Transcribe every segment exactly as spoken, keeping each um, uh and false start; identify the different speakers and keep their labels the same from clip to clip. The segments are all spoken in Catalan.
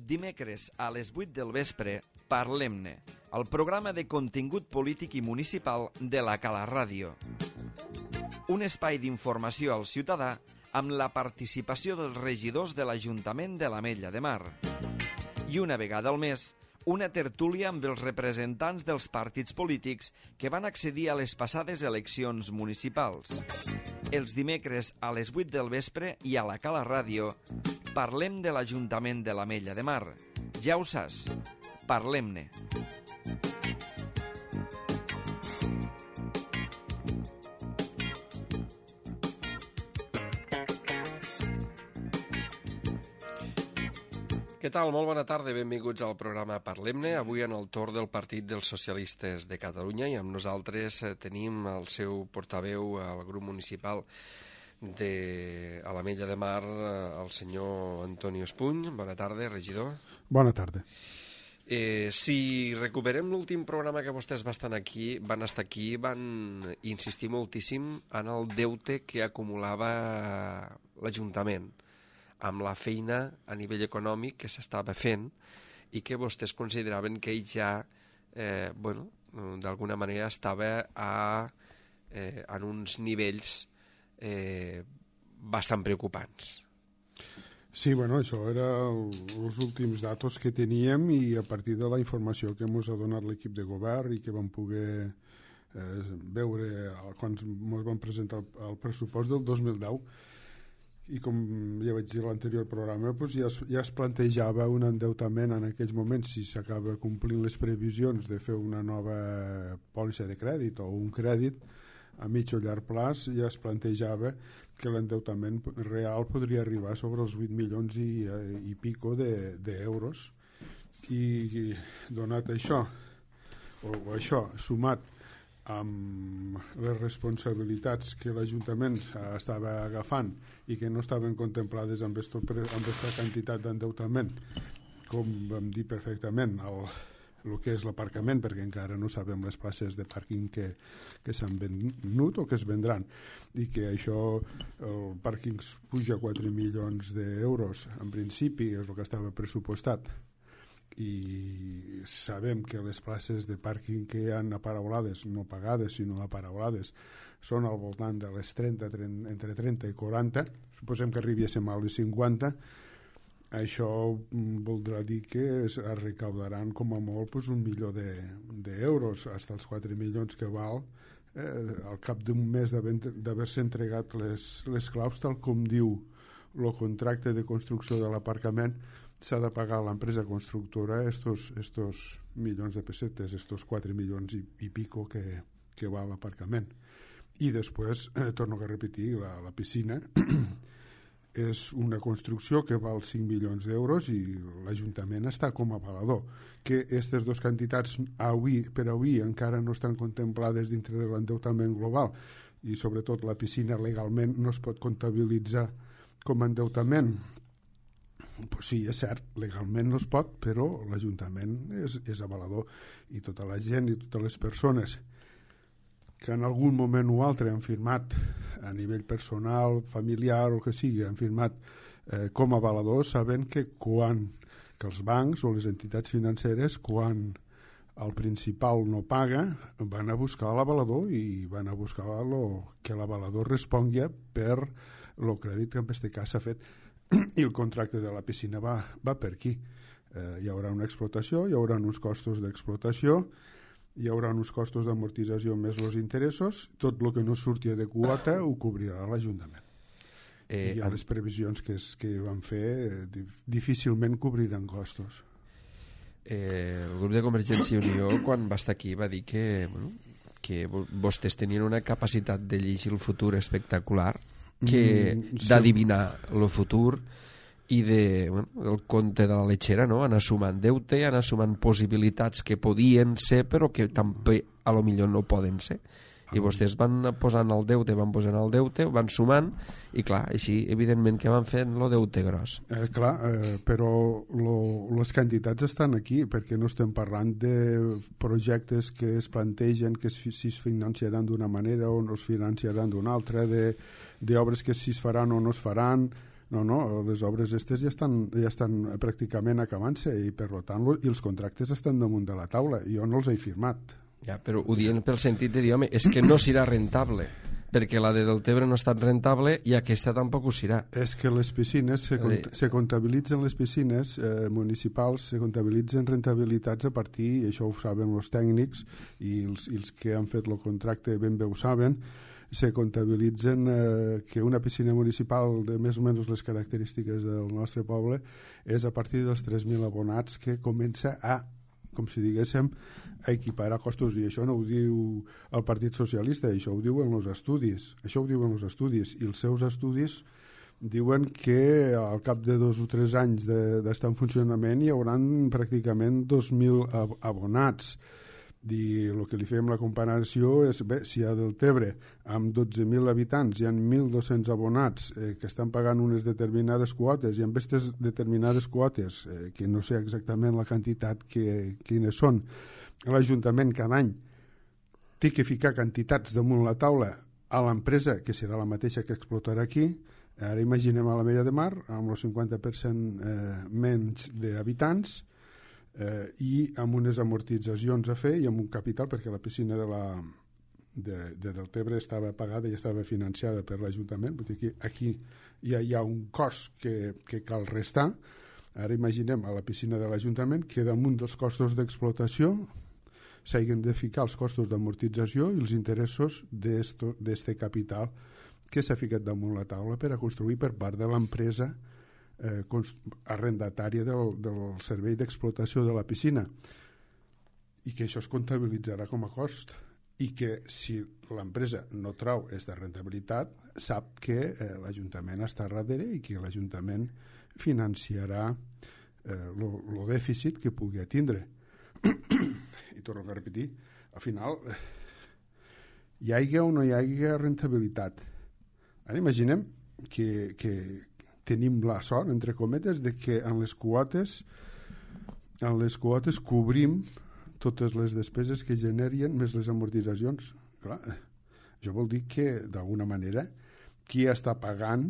Speaker 1: dimecres a les vuit del vespre, Parlem-ne, el programa de contingut polític i municipal de la Cala Ràdio. Un espai d'informació al ciutadà amb la participació dels regidors de l'Ajuntament de l'Ametlla de Mar. I una vegada al mes, una tertúlia amb els representants dels partits polítics que van accedir a les passades eleccions municipals. Els dimecres a les vuit del vespre i a la Cala Ràdio parlem de l'Ajuntament de l'Ametlla de Mar. Ja ho saps, parlem-ne.
Speaker 2: Què tal? Molt bona tarda, benvinguts al programa Parlem-ne. Avui en el torn del Partit dels Socialistes de Catalunya i amb nosaltres tenim el seu portaveu al grup municipal de l'Ametlla de Mar, el senyor Antonio Espuny. Bona tarda, regidor.
Speaker 3: Bona tarda.
Speaker 2: Eh, si recuperem l'últim programa que vostès van estar aquí, van estar aquí, van insistir moltíssim en el deute que acumulava l'Ajuntament amb la feina a nivell econòmic que s'estava fent i que vostès consideraven que ell ja, eh, bueno, d'alguna manera estava a, eh, en uns nivells eh, bastant preocupants.
Speaker 3: Sí, bueno, això era els últims datos que teníem i a partir de la informació que ens ha donat l'equip de govern i que vam poder eh, veure quan ens van presentar el, el pressupost del dos mil deu. I com ja vaig dir a l'anterior programa, doncs ja, es, ja es plantejava un endeutament en aquells moments, si s'acaba complint les previsions de fer una nova pòlissa de crèdit o un crèdit a mig o llarg plaç, ja es plantejava que l'endeutament real podria arribar sobre els vuit milions i, i pico d'euros. I, i donat això, o, o això, sumat amb les responsabilitats que l'Ajuntament estava agafant i que no estaven contemplades amb aquesta quantitat d'endeutament, com vam dir perfectament, el, el que és l'aparcament, perquè encara no sabem les places de pàrquing que, que s'han venut o que es vendran, i que això, el pàrquing puja quatre milions d'euros, en principi és el que estava pressupostat, i sabem que les places de pàrquing que hi ha aparaulades, no pagades sinó aparaulades, són al voltant de les trenta, trenta, entre trenta i quaranta, suposem que arribéssim a les cinquanta. Això voldrà dir que es recaudaran com a molt pues, un milió d'euros, fins als quatre milions que val eh, al cap d'un mes d'haver-se entregat les, les claus, tal com diu el contracte de construcció de l'aparcament. S'ha de pagar a l'empresa constructora estos, estos milions de pessetes, estos quatre milions i, i pico que, que val l'aparcament. I després, eh, torno a repetir, la, la piscina és una construcció que val cinc milions d'euros i l'Ajuntament està com a avalador. Que aquestes dues quantitats avui, per avui encara no estan contemplades dintre de l'endeutament global i sobretot la piscina legalment no es pot comptabilitzar com a endeutament. Pues sí, és cert, legalment no es pot, però l'Ajuntament és, és avalador i tota la gent i totes les persones que en algun moment o altre han firmat a nivell personal, familiar o que sigui, han firmat eh, com a avaladors, saben que quan que els bancs o les entitats financeres, quan el principal no paga, van a buscar l'avalador i van a buscar lo, que l'avalador respongui per el crèdit que en aquest cas s'ha fet. I el contracte de la piscina va, va per aquí. Eh, hi haurà una explotació, hi haurà uns costos d'explotació, hi haurà uns costos d'amortització més els interessos, tot el que no surti de quota ho cobrirà l'Ajuntament. Eh, I les previsions que, es, que van fer eh, difícilment cobriran costos.
Speaker 2: Eh, el grup de Convergència i Unió, quan va estar aquí, va dir que, bueno, que vostès tenien una capacitat de llegir el futur espectacular, que mm, sí. d'adivinar el futur i de, bueno, el conte de la letxera, no? Anar sumant deute, anar sumant possibilitats que podien ser però que també a lo millor no poden ser. I vostès van posant el deute, van posant el deute, van sumant i clar, així evidentment que van fent el deute gros.
Speaker 3: Eh, clar, eh, però lo, les quantitats estan aquí perquè no estem parlant de projectes que es plantegen que si es financiaran d'una manera o no es financiaran d'una altra, d'obres que si es faran o no es faran. No, no, les obres aquestes ja estan, ja estan pràcticament acabant-se i per tant i els contractes estan damunt de la taula. Jo no els he firmat.
Speaker 2: Ja, però ho dient pel sentit de dir, home, és que no serà rentable, perquè la de Deltebre no ha estat rentable i aquesta tampoc ho serà.
Speaker 3: És que les piscines, se, cont se comptabilitzen les piscines eh, municipals, se comptabilitzen rentabilitats a partir, i això ho saben els tècnics i els, i els que han fet el contracte ben bé ho saben, se comptabilitzen eh, que una piscina municipal de més o menys les característiques del nostre poble és a partir dels tres mil abonats que comença a, com si diguéssim, a equiparar costos, i això no ho diu el Partit Socialista, això ho diuen els estudis, això ho diuen els estudis, i els seus estudis diuen que al cap de dos o tres anys d'estar en funcionament hi haurà pràcticament dos mil abonats. I el que li fem la comparació és, bé, si a Deltebre amb dotze mil habitants hi ha mil dos-cents abonats eh, que estan pagant unes determinades quotes i amb aquestes determinades quotes, eh, que no sé exactament la quantitat que, quines són, l'Ajuntament cada any té que ficar quantitats damunt la taula a l'empresa, que serà la mateixa que explotarà aquí. Ara imaginem a la Mella de Mar amb el cinquanta per cent eh, menys d'habitants, Eh, i amb unes amortitzacions a fer i amb un capital, perquè la piscina de, la, de, de Deltebre estava pagada i estava financiada per l'Ajuntament, vull dir que aquí ja hi ha un cost que, que cal restar. Ara imaginem a la piscina de l'Ajuntament que damunt dels costos d'explotació s'hagin de ficar els costos d'amortització i els interessos d'aquest capital que s'ha ficat damunt la taula per a construir per part de l'empresa Eh, arrendatària del, del servei d'explotació de la piscina, i que això es comptabilitzarà com a cost, i que si l'empresa no trau aquesta rentabilitat sap que eh, l'Ajuntament està darrere i que l'Ajuntament financiarà el eh, dèficit que pugui tindre. I torno a repetir, al final eh, hi hagi o no hi hagi rentabilitat. Ara imaginem que, que tenim la sort, entre cometes, de que en les quotes en les quotes cobrim totes les despeses que generien més les amortitzacions. Clar, això vol dir que, d'alguna manera, qui està pagant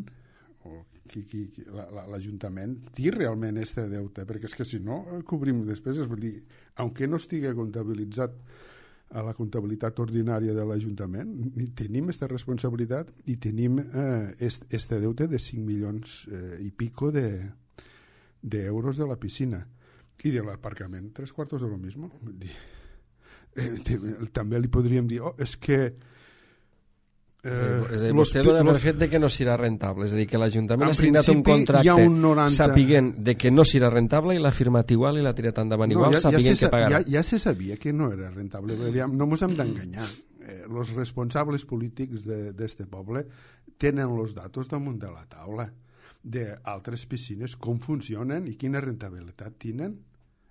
Speaker 3: o qui, qui, qui, l'Ajuntament té realment aquest deute, perquè és que si no cobrim despeses, vol dir, aunque no estigui comptabilitzat a la comptabilitat ordinària de l'Ajuntament, tenim aquesta responsabilitat i tenim aquest eh, deute de cinc milions eh, i pico de, d'euros de la piscina i de l'aparcament, tres quartos de lo mismo. Dir, eh, també li podríem dir, oh, és que
Speaker 2: Eh, és a dir, vostè dona per fet de que no serà rentable, és a dir, que l'Ajuntament ha signat un contracte
Speaker 3: un noranta...
Speaker 2: sapiguent de que no serà rentable i l'ha firmat igual i l'ha tirat endavant igual, no, ja, sapiguent ja que pagarà.
Speaker 3: Ja, ja se sabia que no era rentable, no ens hem d'enganyar. Eh, els responsables polítics d'aquest poble tenen els datos damunt de la taula d'altres piscines, com funcionen i quina rentabilitat tenen,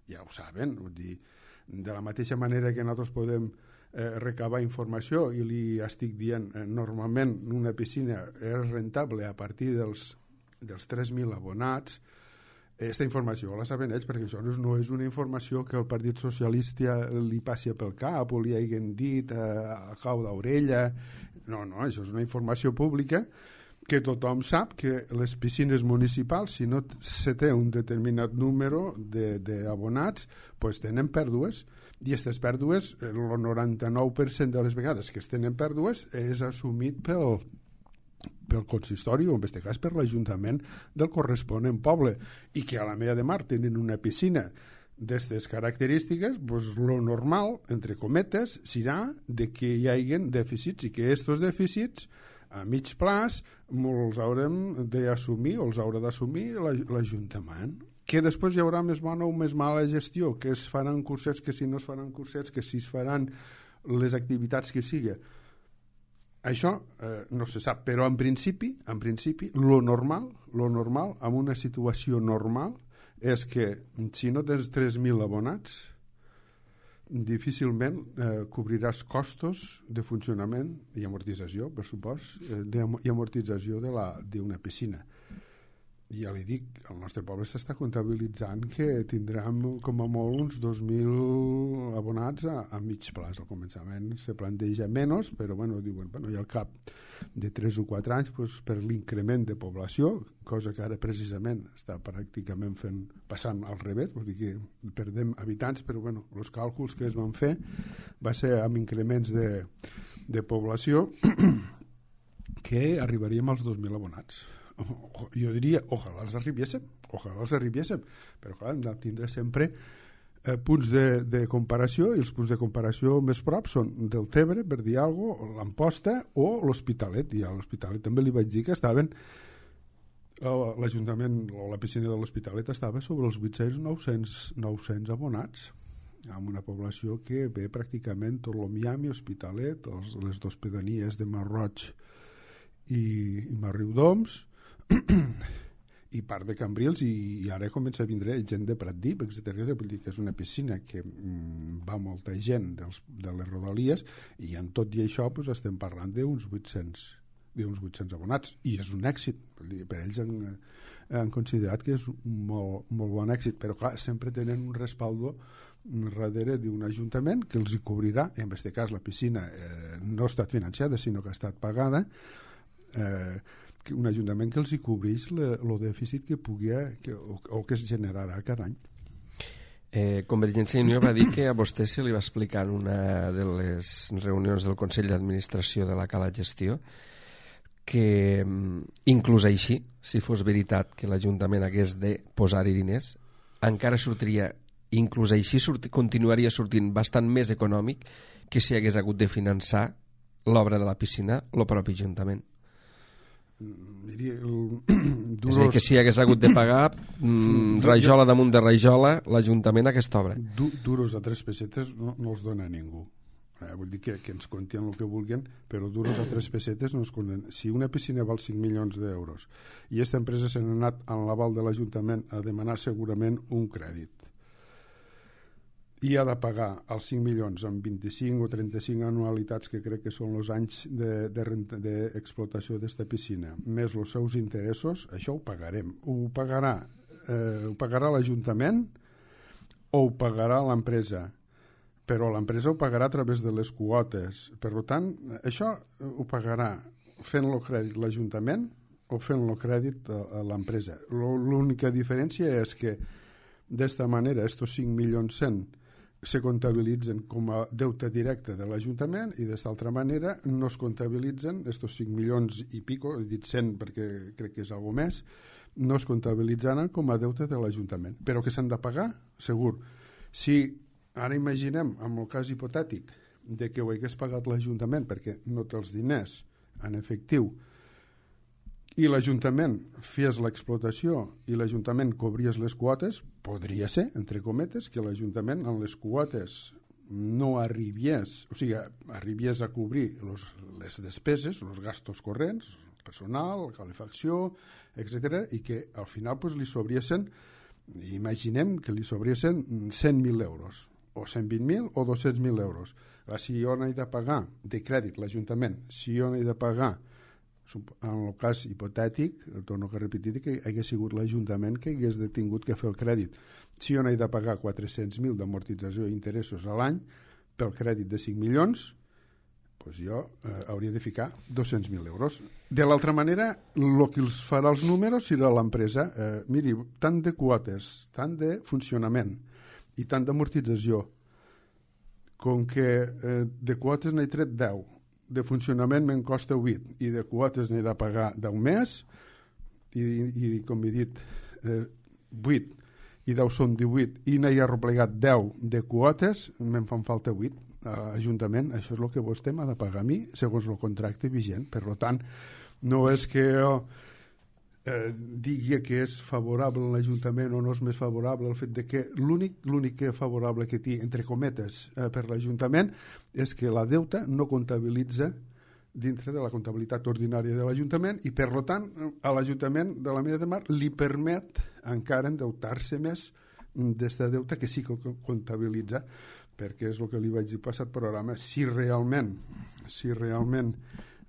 Speaker 3: ja ho saben. Vull dir, de la mateixa manera que nosaltres podem Eh, recabar informació i li estic dient eh, normalment una piscina és rentable a partir dels, dels tres mil abonats. Aquesta informació la saben ells, perquè això no és una informació que el Partit Socialista li passi pel cap o li hagin dit a, a cau d'orella. No, no, això és una informació pública que tothom sap que les piscines municipals, si no se té un determinat número d'abonats, pues tenen pèrdues. I aquestes pèrdues, el noranta-nou per cent de les vegades que es tenen pèrdues és assumit pel, pel consistori o en aquest cas per l'Ajuntament del corresponent poble, i que a la Mella de Mar tenen una piscina d'aquestes característiques, pues lo normal, entre cometes, serà de que hi hagi dèficits i que aquests dèficits a mig plaç els haurem d'assumir o els haurà d'assumir l'Ajuntament. Que després hi haurà més bona o més mala gestió, que es faran cursets, que si no es faran cursets, que si es faran les activitats que sigui. Això eh, no se sap, però en principi, en principi, lo normal, lo normal, en una situació normal, és que si no tens tres mil abonats, difícilment eh, cobriràs costos de funcionament i amortització, per supòs, eh, de, i amortització d'una piscina. ja li dic, el nostre poble s'està comptabilitzant que tindrem com a molt uns dos mil abonats a, a mig plaç. Al començament se planteja menys, però bueno, diuen, bueno, i al cap de tres o quatre anys, pues, per l'increment de població, cosa que ara precisament està pràcticament fent, passant al revés, vol dir que perdem habitants, però bueno, els càlculs que es van fer va ser amb increments de, de població que arribaríem als dos mil abonats. Jo diria, ojalà els arribéssim, ojalà els arribéssim, però clar, hem de tindre sempre eh, punts de, de comparació, i els punts de comparació més prop són del Tebre, per dir alguna cosa, l'Amposta o l'Hospitalet, i a l'Hospitalet també li vaig dir que estaven, l'Ajuntament o la piscina de l'Hospitalet estava sobre els vuit-cents nou cents abonats, amb una població que ve pràcticament tot el Miami, Hospitalet, els, les dues pedanies de Marroig i, i Marriudoms, i part de Cambrils, i, i ara comença a vindre gent de Pratdip, etcètera. Vull dir que és una piscina que mm, va molta gent dels, de les Rodalies, i en tot i això pues, estem parlant d'uns vuit-cents d'uns vuit-cents abonats, i és un èxit. Vull dir, per ells han, han considerat que és un molt, molt bon èxit, però clar, sempre tenen un respaldo darrere d'un ajuntament que els hi cobrirà. En aquest cas la piscina eh, no ha estat financiada, sinó que ha estat pagada, eh, un ajuntament que els hi cobreix el dèficit que pugui que, o, o que es generarà cada any.
Speaker 2: Eh, Convergència i Unió va dir que a vostè se li va explicar en una de les reunions del Consell d'Administració de la Cala Gestió que inclús així, si fos veritat que l'Ajuntament hagués de posar-hi diners, encara sortiria, inclús així sorti, continuaria sortint bastant més econòmic que si hagués hagut de finançar l'obra de la piscina el propi Ajuntament.
Speaker 3: Diria, el,
Speaker 2: duros... És a dir, que si hagués hagut de pagar mm, rajola damunt de rajola l'Ajuntament aquesta obra.
Speaker 3: Du, duros a tres pessetes no, no els dona a ningú. Eh, vull dir que, que ens comptin el que vulguin, però duros a tres pessetes no es compten. Si una piscina val cinc milions d'euros i aquesta empresa se n'ha anat en l'aval de l'Ajuntament a demanar segurament un crèdit i ha de pagar els cinc milions amb vint-i-cinc o trenta-cinc anualitats, que crec que són els anys d'explotació de, de d'esta piscina, més els seus interessos, això ho pagarem. Ho pagarà, eh, ho pagarà l'Ajuntament o ho pagarà l'empresa, però l'empresa ho pagarà a través de les quotes. Per tant, això ho pagarà fent-lo crèdit l'Ajuntament o fent-lo crèdit a, a l'empresa. L'única diferència és que d'esta manera, estos cinc milions cent se comptabilitzen com a deute directe de l'Ajuntament, i d'esta altra manera no es comptabilitzen estos cinc milions i pico, he dit cent perquè crec que és algo més, no es comptabilitzaran com a deute de l'Ajuntament, però que s'han de pagar, segur. Si ara imaginem, amb el cas hipotètic de que ho hagués pagat l'Ajuntament perquè no té els diners en efectiu, i l'Ajuntament fes l'explotació i l'Ajuntament cobries les quotes, podria ser, entre cometes, que l'Ajuntament en les quotes no arribies, o sigui, arribies a cobrir los, les despeses, els gastos corrents, el personal, la calefacció, etcètera, i que al final pues, li sobriesen, imaginem que li sobriesen cent mil euros, o cent vint mil o dos-cents mil euros. Ara, si jo n'he de pagar de crèdit l'Ajuntament, si jo n'he de pagar en el cas hipotètic, torno a repetir que hagués sigut l'Ajuntament que hagués tingut que fer el crèdit. Si jo n'he de pagar quatre-cents mil d'amortització i interessos a l'any pel crèdit de cinc milions, doncs jo eh, hauria de ficar dos-cents mil euros. De l'altra manera, el que els farà els números serà l'empresa. Eh, miri, tant de quotes, tant de funcionament i tant d'amortització, com que eh, de quotes n'he tret deu, de funcionament me'n costa vuit i de quotes n'he de pagar deu més i, i com he dit eh, vuit i deu són divuit i n'he arreplegat deu de quotes, me'n fan falta vuit a l'Ajuntament. Això és el que vostè m'ha de pagar a mi segons el contracte vigent. Per tant, no és que jo eh, digui que és favorable a l'Ajuntament o no és més favorable, el fet de que l'únic l'únic que favorable que té, entre cometes, eh, per l'Ajuntament és que la deuta no comptabilitza dintre de la comptabilitat ordinària de l'Ajuntament i, per tant, a l'Ajuntament de la Mella de Mar li permet encara endeutar-se més d'esta deuta que sí que comptabilitza, perquè és el que li vaig dir passat programa, si realment, si realment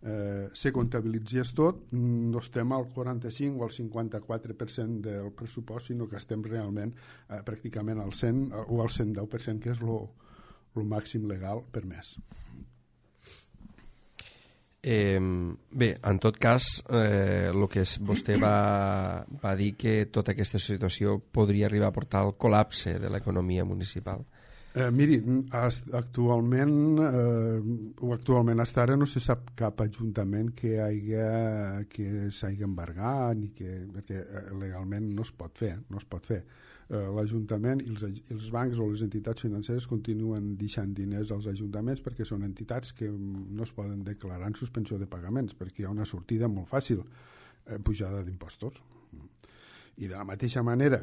Speaker 3: eh, se comptabilitzés tot, no estem al quaranta-cinc o al cinquanta-quatre per cent del pressupost, sinó que estem realment eh, pràcticament al cent o al cent deu per cent, que és el màxim legal permès.
Speaker 2: Eh, bé, en tot cas, eh, el que és, vostè va, va dir que tota aquesta situació podria arribar a portar al col·lapse de l'economia municipal.
Speaker 3: Eh, miri, actualment, eh, o actualment hasta ara no se sap cap ajuntament que hagi, que s'hagi embargat, ni que, perquè legalment no es pot fer, no es pot fer. Eh, l'Ajuntament i els, els bancs o les entitats financeres continuen deixant diners als ajuntaments perquè són entitats que no es poden declarar en suspensió de pagaments, perquè hi ha una sortida molt fàcil, eh, pujada d'impostos. I de la mateixa manera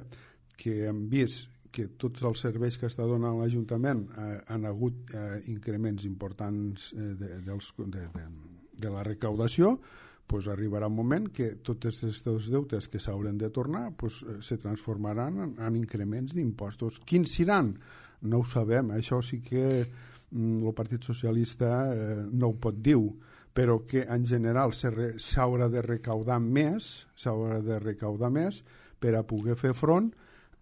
Speaker 3: que hem vist que tots els serveis que està donant l'Ajuntament eh, han hagut eh, increments importants eh, de, dels, de, de, de la recaudació, pues arribarà un moment que tots aquests deutes que s'hauran de tornar pues, eh, se transformaran en, en increments d'impostos. Quins seran? No ho sabem. Això sí que mm, el Partit Socialista eh, no ho pot dir, però que en general s'haurà de recaudar més, s'haurà de recaudar més per a poder fer front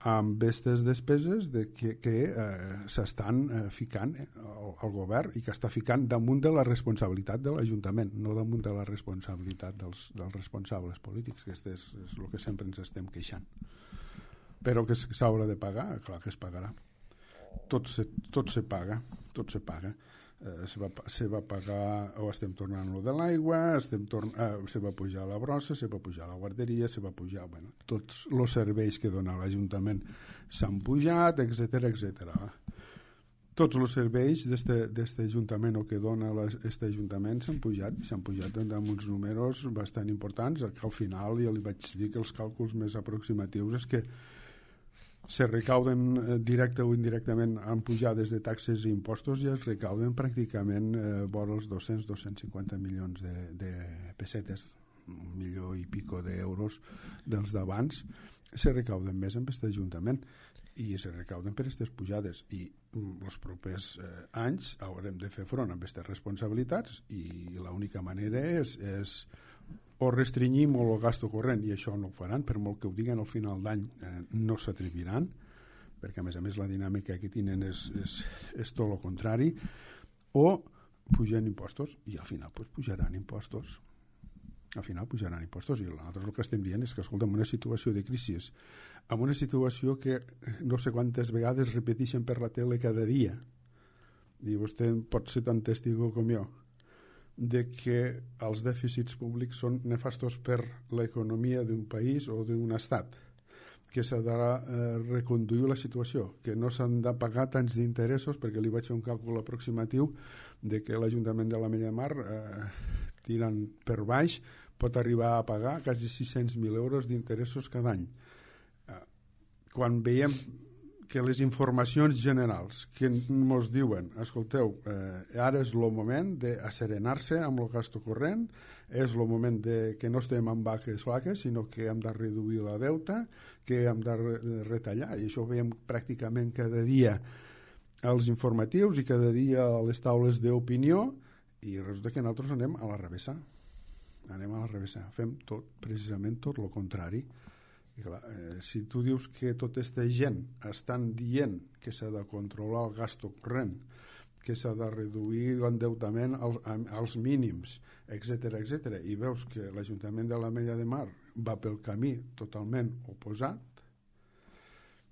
Speaker 3: amb aquestes despeses de que, que eh, s'estan eh, ficant eh, al, al govern i que està ficant damunt de la responsabilitat de l'Ajuntament, no damunt de la responsabilitat dels, dels responsables polítics, que és, és el que sempre ens estem queixant. Però que s'haurà de pagar, clar que es pagarà. Tot se, tot se paga, tot se paga. Eh, se, va, se va pagar, o estem tornant lo de l'aigua, estem torn, eh, se va pujar la brossa, se va pujar la guarderia, se va pujar, bueno, tots els serveis que dona l'Ajuntament s'han pujat, etcètera, etcètera. Tots els serveis d'aquest Ajuntament o que dona aquest Ajuntament s'han pujat, i s'han pujat amb uns números bastant importants, que al final ja li vaig dir que els càlculs més aproximatius és que se recauden eh, directe o indirectament amb pujades de taxes i impostos i es recauden pràcticament eh, vora els dos-cents a dos-cents cinquanta milions de, de pessetes, un milió i pico d'euros dels d'abans, se recauden més amb aquest Ajuntament i se recauden per aquestes pujades i els propers eh, anys haurem de fer front amb aquestes responsabilitats i l'única manera és, és o restringim el gasto corrent, i això no ho faran, per molt que ho diguen al final d'any eh, no s'atreviran, perquè a més a més la dinàmica que tenen és, és, és tot el contrari, o pugen impostos, i al final pues, pujaran impostos. Al final pujaran impostos, i nosaltres el que estem dient és que, escolta, en una situació de crisi, en una situació que no sé quantes vegades repeteixen per la tele cada dia, i vostè pot ser tan testigo com jo, de que els dèficits públics són nefastos per l'economia d'un país o d'un estat, que s'ha de eh, reconduir la situació, que no s'han de pagar tants d'interessos, perquè li vaig fer un càlcul aproximatiu de que l'Ajuntament de l'Ametlla de Mar, eh, tirant per baix, pot arribar a pagar quasi sis-cents mil euros d'interessos cada any. Eh, quan veiem que les informacions generals que ens diuen, escolteu, eh, ara és el moment d'asserenar-se amb el gasto corrent, és el moment de que no estem amb vaques flaques, sinó que hem de reduir la deuta, que hem de retallar, i això ho veiem pràcticament cada dia als informatius i cada dia a les taules d'opinió, i resulta que nosaltres anem a la revessa. Anem a la revessa. Fem tot, precisament tot el contrari. I clar, eh, si tu dius que tota aquesta gent estan dient que s'ha de controlar el gasto corrent, que s'ha de reduir l'endeutament al, als mínims, etcètera, etcètera, i veus que l'Ajuntament de l'Ametlla de Mar va pel camí totalment oposat,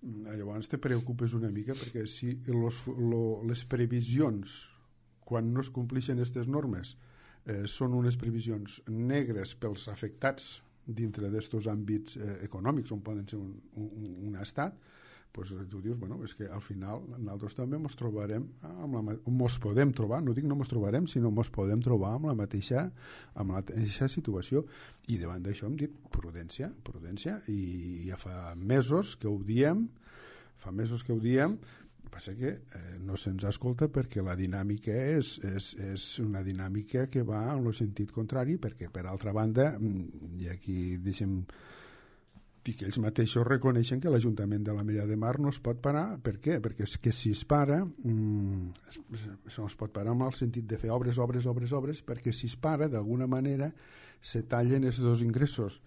Speaker 3: llavors te preocupes una mica, perquè si los, lo, les previsions, quan no es compleixen aquestes normes, eh, són unes previsions negres pels afectats dintre d'estos àmbits eh, econòmics on poden ser un, un, un estat, pues, tu dius, bueno, és que al final nosaltres també ens trobarem amb la, mos podem trobar, no dic no ens trobarem, sinó ens podem trobar amb la mateixa amb la mateixa situació, i davant d'això hem dit prudència, prudència, i ja fa mesos que ho diem, fa mesos que ho diem, passa que eh, no se'ns escolta perquè la dinàmica és, és, és una dinàmica que va en el sentit contrari, perquè per altra banda, i aquí deixem i que ells mateixos reconeixen que l'Ajuntament de l'Ametlla de Mar no es pot parar. Per què? Perquè és que si es para, mmm, això no es pot parar en el sentit de fer obres, obres, obres, obres, perquè si es para, d'alguna manera, se tallen els dos ingressos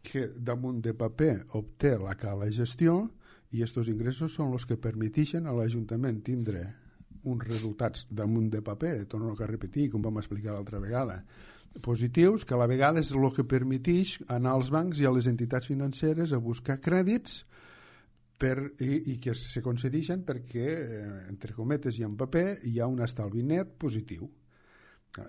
Speaker 3: que damunt de paper obté la cala gestió, i aquests ingressos són els que permeteixen a l'Ajuntament tindre uns resultats damunt de paper, torno a repetir, com vam explicar l'altra vegada, positius, que a la vegada és el que permeteix anar als bancs i a les entitats financeres a buscar crèdits per, i, i que se concedeixen perquè, eh, entre cometes i en paper, hi ha un estalvi net positiu.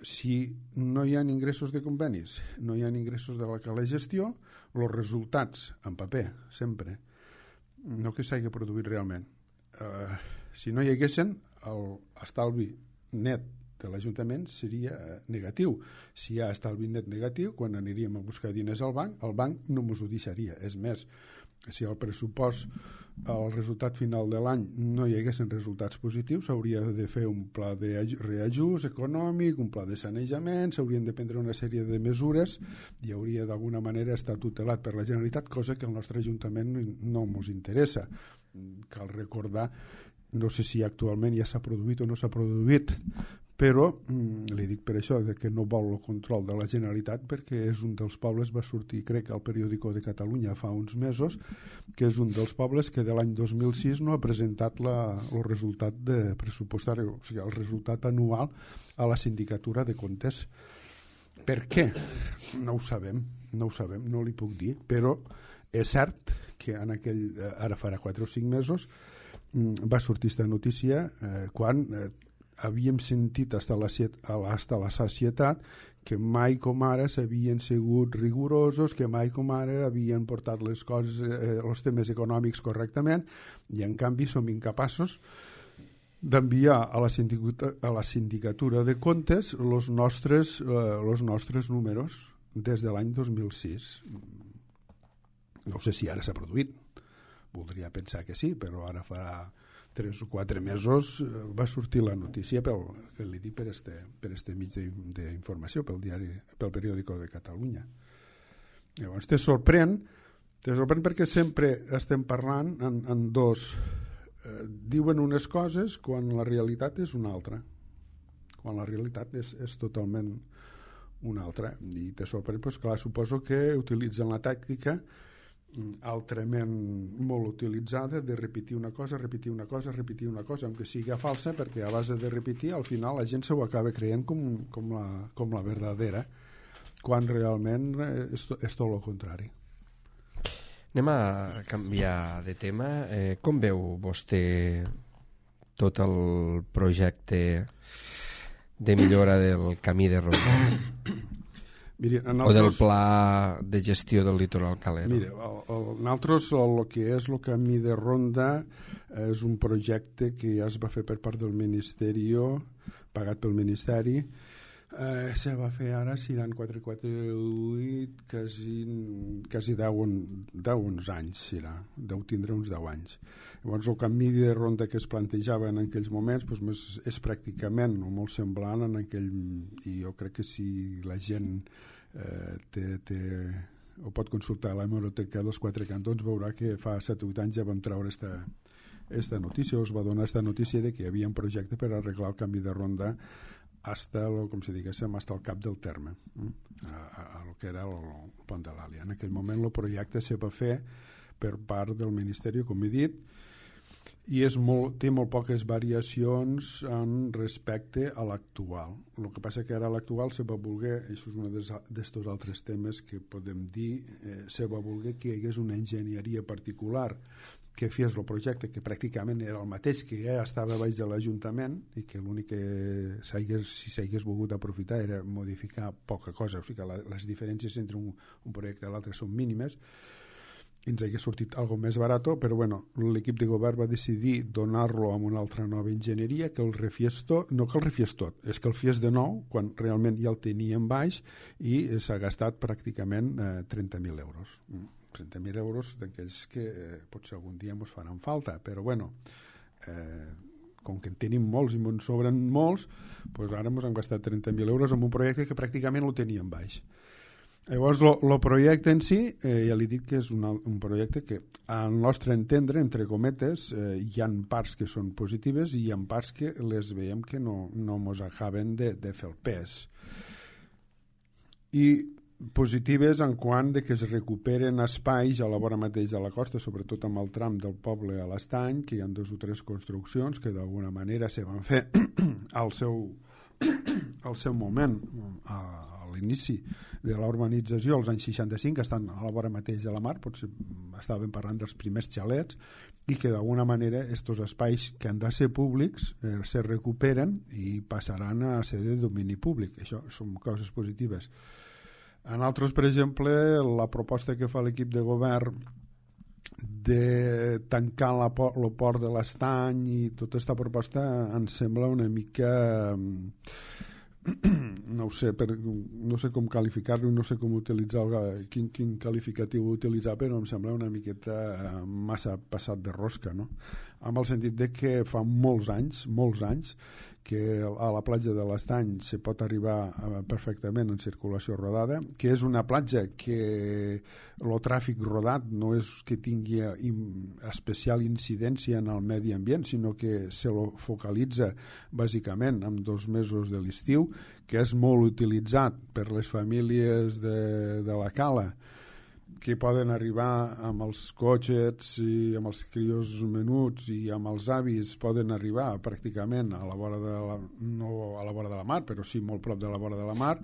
Speaker 3: Si no hi ha ingressos de convenis, no hi ha ingressos de la cala gestió, els resultats en paper, sempre, no que s'hagi produït realment. Eh, si no hi haguessin, l'estalvi net de l'Ajuntament seria negatiu. Si hi ha estalvi net negatiu, quan aniríem a buscar diners al banc, el banc no ens ho deixaria. És més, si el pressupost, el resultat final de l'any no hi haguessin resultats positius, s'hauria de fer un pla de reajust econòmic, un pla de sanejament, s'haurien de prendre una sèrie de mesures i hauria d'alguna manera estar tutelat per la Generalitat, cosa que al nostre Ajuntament no ens interessa. Cal recordar, no sé si actualment ja s'ha produït o no s'ha produït, però mm, li dic per això de que no vol el control de la Generalitat, perquè és un dels pobles, va sortir crec al periòdico de Catalunya fa uns mesos, que és un dels pobles que de l'any dos mil sis no ha presentat la, el resultat de pressupostari, o sigui, el resultat anual a la sindicatura de comptes. Per què? No ho sabem, no ho sabem, no li puc dir, però és cert que en aquell, ara farà quatre o cinc mesos, va sortir aquesta notícia eh, quan eh, havíem sentit hasta la, hasta la sacietat que mai com ara s'havien sigut rigorosos, que mai com ara havien portat les coses, eh, els temes econòmics correctament, i en canvi som incapaços d'enviar a la sindicatura, a la sindicatura de comptes els nostres, eh, els nostres números des de l'any dos mil sis. No sé si ara s'ha produït, voldria pensar que sí, però ara farà tres o quatre mesos va sortir la notícia pel, que li dic per este, per este mig d'informació, pel diari, pel periòdico de Catalunya. Llavors te sorprèn, te sorprèn perquè sempre estem parlant en, en dos, eh, diuen unes coses quan la realitat és una altra, quan la realitat és, és totalment una altra, i te sorprèn, doncs clar, suposo que utilitzen la tàctica altrament molt utilitzada de repetir una cosa, repetir una cosa, repetir una cosa, aunque sigui falsa, perquè a base de repetir al final la gent se ho acaba creient com, com, la, com la verdadera, quan realment és, és tot el contrari.
Speaker 2: Anem a canviar de tema. Eh, com veu vostè tot el projecte de millora del camí de Ronda?
Speaker 3: Miri,
Speaker 2: o del pla de gestió del litoral calero?
Speaker 3: Mira, nosaltres el, el que és el camí de Ronda és un projecte que ja es va fer per part del Ministeri, pagat pel Ministeri. Eh, se va fer ara, seran quatre, quatre, vuit, quasi, quasi deu anys, serà, deu tindre uns deu anys. Llavors el camí de Ronda que es plantejava en aquells moments doncs, és pràcticament o molt semblant en aquell, i jo crec que si la gent eh, té, té, o pot consultar la hemeroteca dels Quatre Cantons veurà que fa set o vuit anys ja vam treure esta, esta notícia, us va donar esta notícia de que hi havia un projecte per arreglar el camí de Ronda hasta, el, com si diguéssim, hasta el cap del terme, a, a, a lo que era el, el pont de l'Àlia. En aquell moment el projecte se va fer per part del Ministeri, com he dit, i és molt, té molt poques variacions en respecte a l'actual. El que passa que ara l'actual se va voler, això és un d'aquests altres temes que podem dir, eh, se va voler que hi hagués una enginyeria particular que fes el projecte, que pràcticament era el mateix que ja estava baix de l'Ajuntament i que l'únic que si s'hagués volgut aprofitar era modificar poca cosa, o sigui que la, les diferències entre un, un projecte i l'altre són mínimes, i ens hagués sortit algo més barat, però bueno, l'equip de govern va decidir donar-lo a una altra nova enginyeria que el refiés tot, no que el refiés tot, és que el fies de nou quan realment ja el teníem baix i s'ha gastat pràcticament eh, trenta mil euros. trenta mil euros d'aquells que eh, potser algun dia ens faran falta, però bueno, eh, com que en tenim molts i ens sobren molts, doncs ara ens hem gastat trenta mil euros en un projecte que pràcticament el teníem baix. Llavors, el projecte en si, eh, ja li dic que és un, un projecte que, al nostre entendre, entre cometes, eh, hi ha parts que són positives i hi ha parts que les veiem que no, no mos acaben de, de fer el pes. I positives en quant de que es recuperen espais a la vora mateix de la costa, sobretot amb el tram del poble a l'Estany, que hi ha dos o tres construccions que d'alguna manera se van fer al seu, al seu moment, a, a l'inici de la urbanització als anys seixanta-cinc, que estan a la vora mateix de la mar, potser estàvem parlant dels primers xalets, i que d'alguna manera aquests espais que han de ser públics eh, se recuperen i passaran a ser de domini públic. Això són coses positives. En altres, per exemple, la proposta que fa l'equip de govern de tancar la por, el port de l'Estany i tota aquesta proposta ens sembla una mica... no ho sé, per, no sé com qualificar-lo, no sé com utilitzar el, quin, quin qualificatiu utilitzar, però em sembla una miqueta massa passat de rosca, no? Amb el sentit de que fa molts anys, molts anys, que a la platja de l'Estany se pot arribar perfectament en circulació rodada, que és una platja que el tràfic rodat no és que tingui especial incidència en el medi ambient, sinó que se lo focalitza bàsicament en dos mesos de l'estiu, que és molt utilitzat per les famílies de, de la Cala, que poden arribar amb els cotxets i amb els crios menuts i amb els avis, poden arribar pràcticament a la vora de la, no a la vora de la mar, però sí molt prop de la vora de la mar,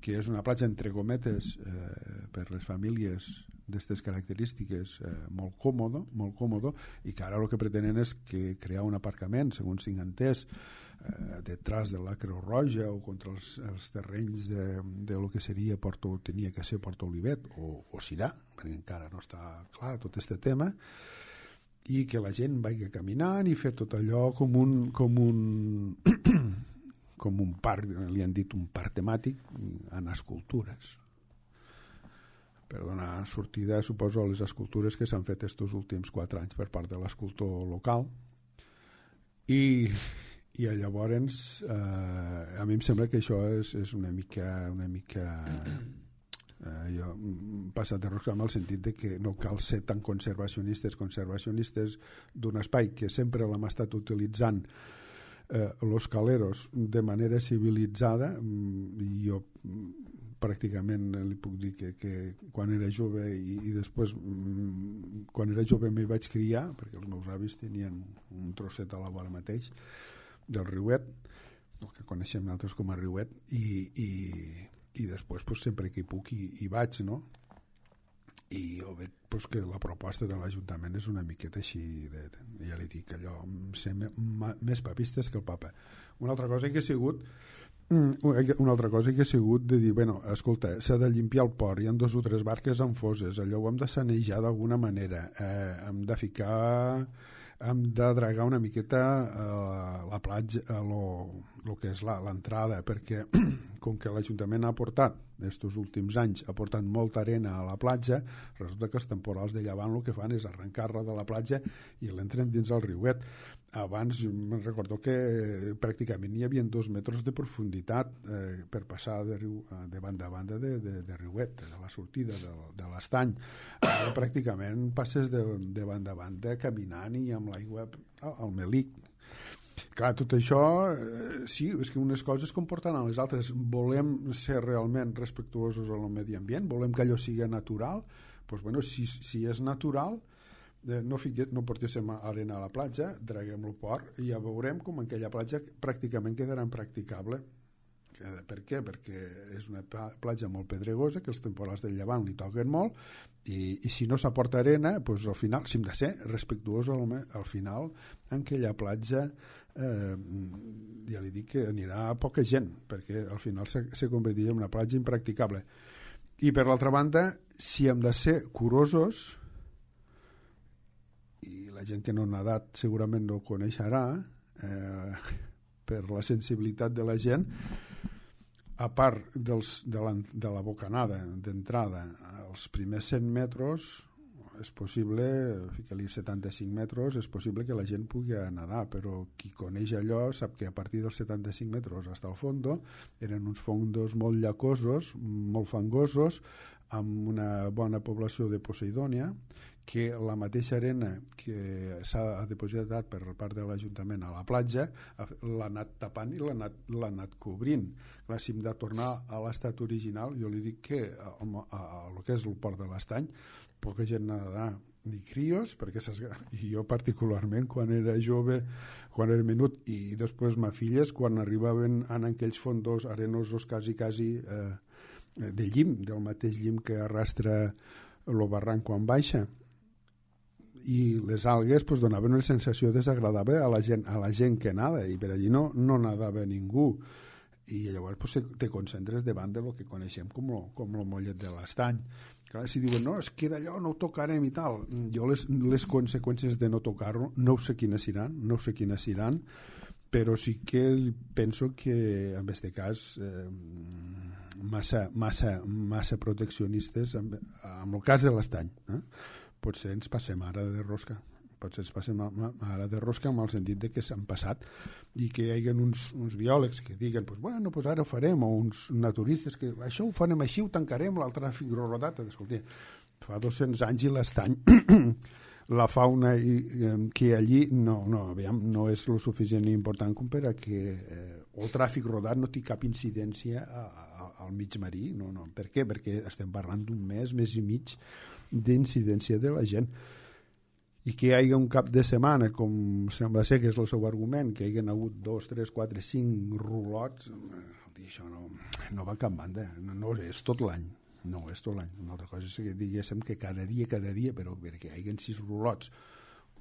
Speaker 3: que és una platja entre cometes eh, per les famílies d'aquestes característiques eh, molt còmodo, molt còmodo, i que ara el que pretenen és que crear un aparcament, segons tinc entès, eh, detrás de la Creu Roja o contra els, els terrenys de, de lo que seria Porto, tenia que ser Porto Olivet o, o Sirà, perquè encara no està clar tot aquest tema, i que la gent vagi caminant i fer tot allò com un com un com un parc, li han dit un parc temàtic en escultures, per donar sortida, suposo, a les escultures que s'han fet estos últims quatre anys per part de l'escultor local. I, i llavors eh, a mi em sembla que això és, és una mica una mica eh, jo, passat de rosca, en el sentit de que no cal ser tan conservacionistes conservacionistes d'un espai que sempre l'hem estat utilitzant eh, los caleros de manera civilitzada. Jo pràcticament li puc dir que, que quan era jove i, i després quan era jove m'hi vaig criar, perquè els meus avis tenien un trosset a la vora mateix del riuet, el que coneixem nosaltres com a riuet, i, i, i després pues, sempre que hi puc hi, hi vaig, no? I jo veig pues, que la proposta de l'Ajuntament és una miqueta així, de, de, ja li dic, allò, ser més papistes que el papa. Una altra cosa que ha sigut una altra cosa que ha sigut de dir, bueno, escolta, s'ha de limpiar el port, hi ha dos o tres barques en foses, allò ho hem de sanejar d'alguna manera, eh, hem de ficar, hem de dragar una miqueta eh, la platja, eh, lo, lo que és l'entrada, perquè com que l'Ajuntament ha aportat, estos últims anys, ha portat molta arena a la platja, resulta que els temporals de llevant el que fan és arrencar-la de la platja i l'entren dins el riuet. Abans me'n recordo que pràcticament hi havia dos metres de profunditat eh, per passar de, riu, de banda a banda de, de, de riuet, de la sortida de, de l'estany. Ara pràcticament passes de, de banda a banda caminant i amb l'aigua al melic. Clar, tot això, eh, sí, és que unes coses comporten a les altres. Volem ser realment respectuosos amb el medi ambient, volem que allò sigui natural, doncs, bueno, si, si és natural, no, fique, no portéssim arena a la platja, draguem el port i ja veurem com aquella platja pràcticament quedarà impracticable. Per què? Perquè és una platja molt pedregosa, que els temporals del llevant li toquen molt, i, i si no s'aporta arena, doncs al final, si hem de ser respectuós al, al final, en aquella platja eh, ja li dic que anirà poca gent, perquè al final se, se convertirà en una platja impracticable. I per l'altra banda, si hem de ser curosos, i la gent que no ha nadat segurament no ho coneixerà, eh, per la sensibilitat de la gent, a part dels, de, la, de la bocanada d'entrada, els primers cent metres és possible, fica-li setanta-cinc metres, és possible que la gent pugui nedar, però qui coneix allò sap que a partir dels setanta-cinc metres fins al fondo eren uns fondos molt llacosos, molt fangosos, amb una bona població de poseidònia, que la mateixa arena que s'ha depositat per part de l'Ajuntament a la platja l'ha anat tapant i l'ha anat, l'ha anat cobrint. Clar, si hem de tornar a l'estat original, jo li dic que a, a, a lo que és el port de l'Estany poca gent nadarà, ni crios, perquè i jo particularment quan era jove, quan era menut, i després ma filles quan arribaven en aquells fondos arenosos quasi quasi eh, de llim, del mateix llim que arrastra el barranc quan baixa, i les algues pues, donaven una sensació desagradable a la gent, a la gent que nada, i per allí no, no nadava ningú, i llavors pues, te concentres davant de lo que coneixem com lo, com lo mollet de l'Estany. Clar, si diuen, no, es queda allò, no ho tocarem i tal, jo les, les conseqüències de no tocar-lo no sé quines seran, no sé quines seran, però sí que penso que en aquest cas eh, massa, massa, massa proteccionistes amb, amb el cas de l'Estany, eh? Potser ens passem ara de rosca, potser ens passem ara de rosca en el sentit de que s'han passat i que hi hagi uns, uns biòlegs que diguen pues, bueno, pues ara ho farem, o uns naturistes que això ho farem així, ho tancarem, el tràfic rodat. Escolta, fa dos-cents anys i l'Estany la fauna i, eh, que allí no, no, aviam, no és lo suficient important com per a que eh, el tràfic rodat no té cap incidència a, a, al mig marí. No, no. Per què? Perquè estem parlant d'un mes, mes i mig d'incidència de la gent, i que hi hagi un cap de setmana, com sembla ser que és el seu argument, que hi hagin hagut dos, tres, quatre, cinc rulots, això no, no va a cap banda, no, no és tot l'any, no és tot l'any. Una altra cosa és que diguéssim que cada dia, cada dia, però perquè hi hagin sis rulots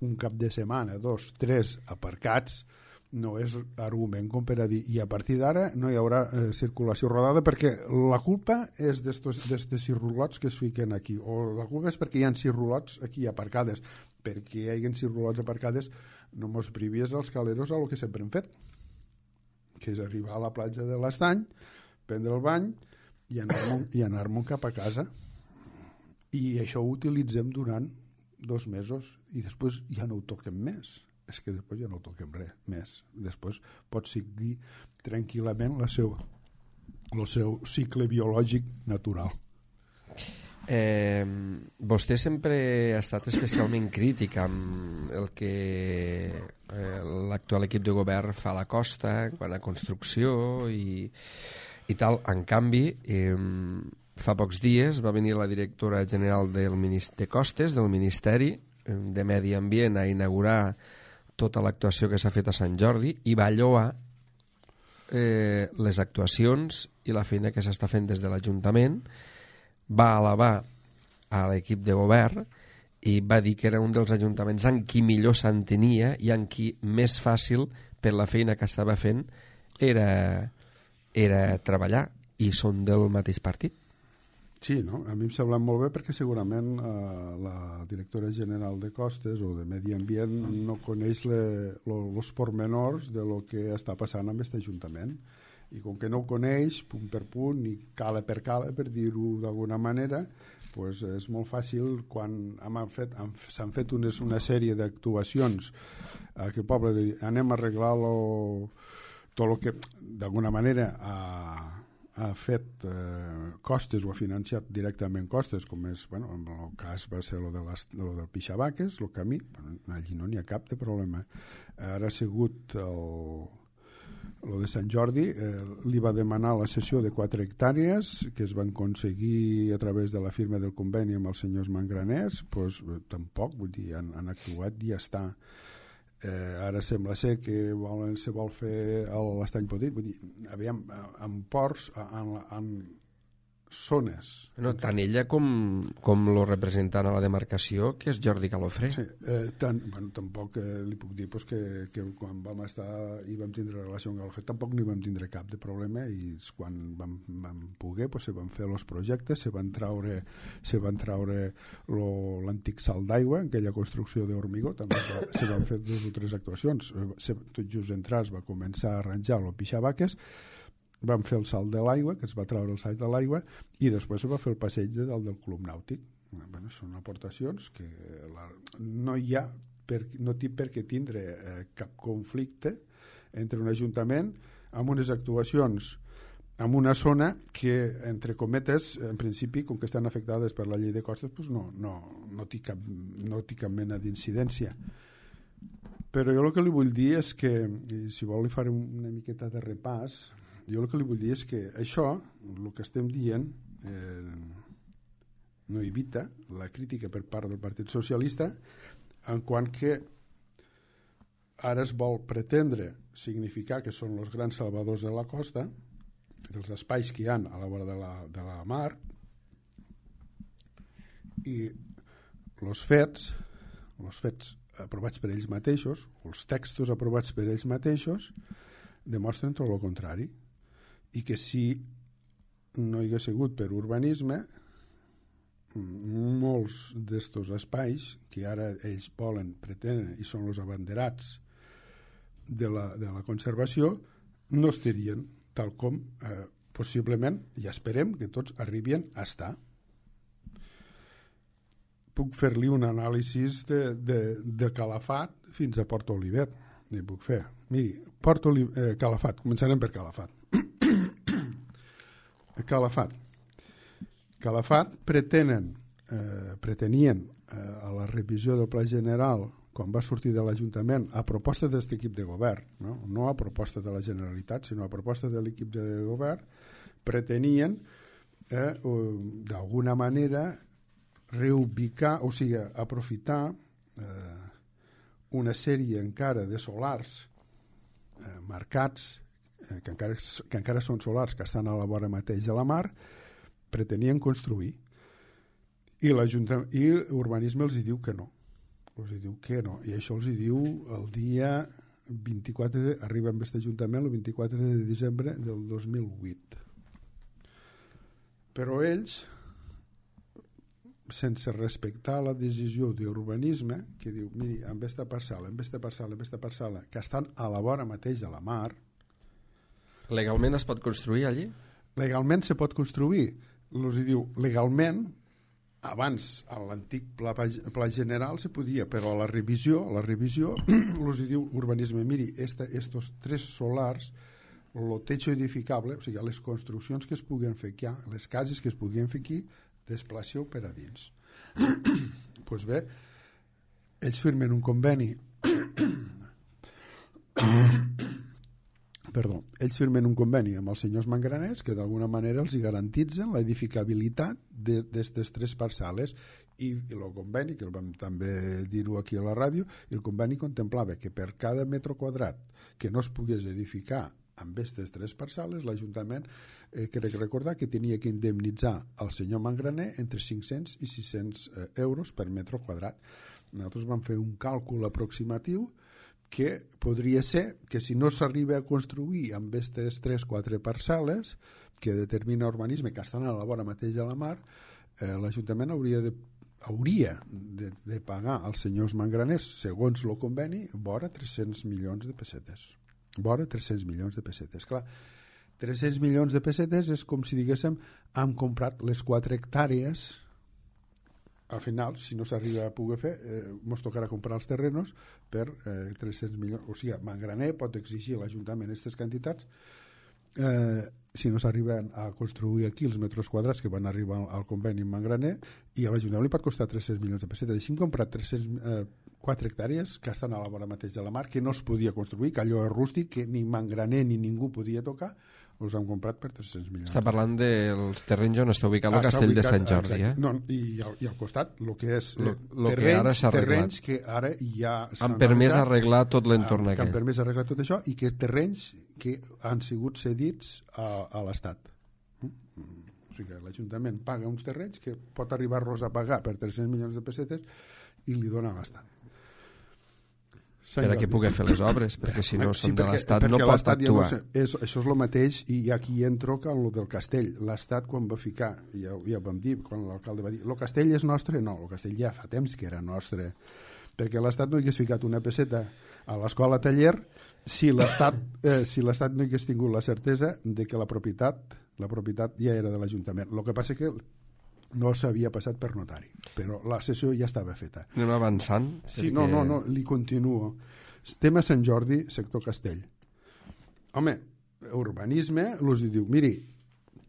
Speaker 3: un cap de setmana, dos, tres aparcats, no és argument com per a dir, i a partir d'ara no hi haurà eh, circulació rodada, perquè la culpa és d'estos sis rulots que es fiquen aquí, o la culpa és perquè hi ha sis rulots aquí aparcades, perquè hi hagi sis rulots aparcades no mos privies als caleros a lo que sempre hem fet, que és arribar a la platja de l'Estany, prendre el bany i anar-me'n i anar-me'n cap a casa, i això ho utilitzem durant dos mesos i després ja no ho toquem més. És que després ja no toquem res més. Després pot seguir tranquil·lament la seva, el seu cicle biològic natural.
Speaker 2: Eh, vostè sempre ha estat especialment crític amb el que eh, l'actual equip de govern fa a la costa, quan a construcció i, i tal. En canvi, eh, fa pocs dies va venir la directora general del Ministeri de Costes, del Ministeri de Medi Ambient, a inaugurar tota l'actuació que s'ha fet a Sant Jordi i va lloar eh, les actuacions i la feina que s'està fent des de l'Ajuntament, va alabar a l'equip de govern i va dir que era un dels ajuntaments en qui millor s'entenia i en qui més fàcil per la feina que estava fent era, era treballar, i són del mateix partit.
Speaker 3: Sí, no? A mi em sembla molt bé perquè segurament eh, la directora general de Costes o de Medi Ambient no coneix els pormenors de lo que està passant amb aquest Ajuntament, i com que no ho coneix punt per punt i cala per cala, per dir-ho d'alguna manera, pues és molt fàcil quan hem fet, hem, s'han fet unes, una sèrie d'actuacions a aquest poble de, anem a arreglar lo, tot el que d'alguna manera a ha fet eh, Costes o ha financiat directament Costes, com és, bueno, en el cas va ser lo, de les, lo del Pixabaques, el camí, bueno, allí no n'hi ha cap de problema. Ara ha sigut el, lo de Sant Jordi, eh, li va demanar la cessió de quatre hectàrees que es van aconseguir a través de la firma del conveni amb els senyors Mangraners, pues, tampoc, vull dir, han, han actuat i ja està. Eh, ara sembla ser que volen, se vol fer l'Estany Petit, vull dir, aviam, en ports, en, en zones.
Speaker 2: No, tant ella com, com lo representant a la demarcació, que és Jordi Galofré.
Speaker 3: Sí, eh, tant, bueno, tampoc eh, li puc dir pues, que, que quan vam estar i vam tindre relació amb Galofré tampoc no hi vam tindre cap de problema, i quan vam, vam poder pues, se van fer els projectes, se van traure, se van traure l'antic salt d'aigua, aquella construcció d'hormigó, també se, se van fer dues o tres actuacions. Se, tot just entrar es va començar a arranjar el Pixabaques, vam fer el salt de l'aigua, que es va treure el salt de l'aigua, i després se va fer el passeig de dalt del Club Nàutic. Bueno, són aportacions que la, no hi ha per, no té per què tindre eh, cap conflicte entre un ajuntament amb unes actuacions en una zona que, entre cometes, en principi, com que estan afectades per la llei de costes, doncs no, no, no, té cap, no té cap mena d'incidència. Però jo el que li vull dir és que, si vol li faré una miqueta de repàs, jo el que li vull dir és que això, el que estem dient, eh, no evita la crítica per part del Partit Socialista, en quant que ara es vol pretendre significar que són els grans salvadors de la costa, dels espais que hi ha a la vora de la, de la mar, i els fets, els fets aprovats per ells mateixos, els textos aprovats per ells mateixos, demostren tot el contrari, i que si no hi hagués sigut per urbanisme, molts d'estos espais que ara ells volen, pretenen i són els abanderats de la, de la conservació, no estarien tal com eh, possiblement, i esperem que tots arribin a estar. Puc fer-li un anàlisi de, de, de Calafat fins a Port Olivet. N'hi puc fer. Miri, Port Olivet, eh, Calafat, començarem per Calafat. Calafat. Calafat pretenen, eh, pretenien eh, a la revisió del Pla General, quan va sortir de l'Ajuntament, a proposta d'aquest equip de govern, no? no a proposta de la Generalitat, sinó a proposta de l'equip de govern, pretenien eh, d'alguna manera reubicar, o sigui, aprofitar eh, una sèrie encara de solars eh, marcats, eh, que, encara, que encara són solars que estan a la vora mateix de la mar, pretenien construir. I, i urbanisme els hi diu que no. Els hi diu que no. I això els hi diu el dia vint-i-quatre, de, arriba amb aquest ajuntament el vint-i-quatre de desembre del dos mil vuit. Però ells, sense respectar la decisió d'urbanisme, que diu, miri, amb aquesta parcel·la, amb aquesta parcel·la, amb aquesta parcel·la, que estan a la vora mateix de la mar...
Speaker 2: Legalment es pot construir allí?
Speaker 3: Legalment se pot construir. Els hi diu, legalment, abans, a l'antic pla, pla general se podia, però a la revisió, a la revisió, els diu urbanisme, miri, esta, estos tres solars, el techo edificable, o sigui, les construccions que es puguen fer aquí, les cases que es puguen fer aquí, desplaceu per a dins. Doncs pues bé, ells firmen un conveni Perdó, ells firmen un conveni amb els senyors mangraners que d'alguna manera els garantitzen la edificabilitat d'aquestes tres parcel·les i, i el conveni, que el vam també dir-ho aquí a la ràdio, el conveni contemplava que per cada metre quadrat que no es pogués edificar amb aquestes tres parcel·les, l'Ajuntament eh, crec recordar que tenia que indemnitzar al senyor mangraner entre cinc-cents i sis-cents eh, euros per metre quadrat. Nosaltres vam fer un càlcul aproximatiu que podria ser que si no s'arriba a construir amb aquestes tres o quatre parcel·les que determina urbanisme que estan a la vora mateix de la mar, eh, l'Ajuntament hauria de, hauria de, de pagar als senyors mangraners, segons el conveni, vora tres-cents milions de pessetes. Vora tres-cents milions de pessetes. Clar, tres-cents milions de pessetes és com si diguéssim hem comprat les quatre hectàrees. Al final, si no s'arriba a poder fer, eh, ens tocarà comprar els terrenos per eh, tres-cents milions. O sigui, Mangraner pot exigir a l'Ajuntament aquestes quantitats eh, si no s'arriben a construir aquí els metres quadrats que van arribar al conveni amb Mangraner, i a l'Ajuntament li pot costar tres-cents milions de pessetes. Així hem comprat tres-cents, eh, quatre hectàrees que estan a la vora mateix de la mar, que no es podia construir, que allò és rústic, que ni Mangraner ni ningú podia tocar, els han comprat per tres-cents milions.
Speaker 2: Està parlant dels terrenys on està ubicat el castell ubicat, de Sant Jordi, eh?
Speaker 3: No, i, al, i al costat, el que és eh,
Speaker 2: lo, lo
Speaker 3: terrenys,
Speaker 2: que ara s'ha
Speaker 3: terrenys que ara ja
Speaker 2: han permès arreglar tot l'entorn
Speaker 3: aquest. Han permès arreglar tot això, i que terrenys que han sigut cedits a, a l'Estat. O sigui que l'Ajuntament paga uns terrenys que pot arribar-los a pagar per tres-cents milions de pessetes i li dona a l'Estat.
Speaker 2: Per a què pugui fer les obres, perquè si no són de l'Estat no pot actuar. Ja no sé,
Speaker 3: és, això és el mateix, i aquí entro que el del castell. L'Estat, quan va ficar, ja, ja ho vam dir, quan l'alcalde va dir, el castell és nostre? No, el castell ja fa temps que era nostre, perquè l'Estat no hagués ficat una pesseta a l'escola taller si l'Estat eh, si l'Estat no hagués tingut la certesa de que la propietat, la propietat ja era de l'Ajuntament. El que passa que no s'havia passat per notari, però la sessió ja estava feta.
Speaker 2: Anem avançant?
Speaker 3: Sí,
Speaker 2: perquè...
Speaker 3: no, no, no, li continuo. Tema Sant Jordi, sector Castell. Home, urbanisme, els diu, miri,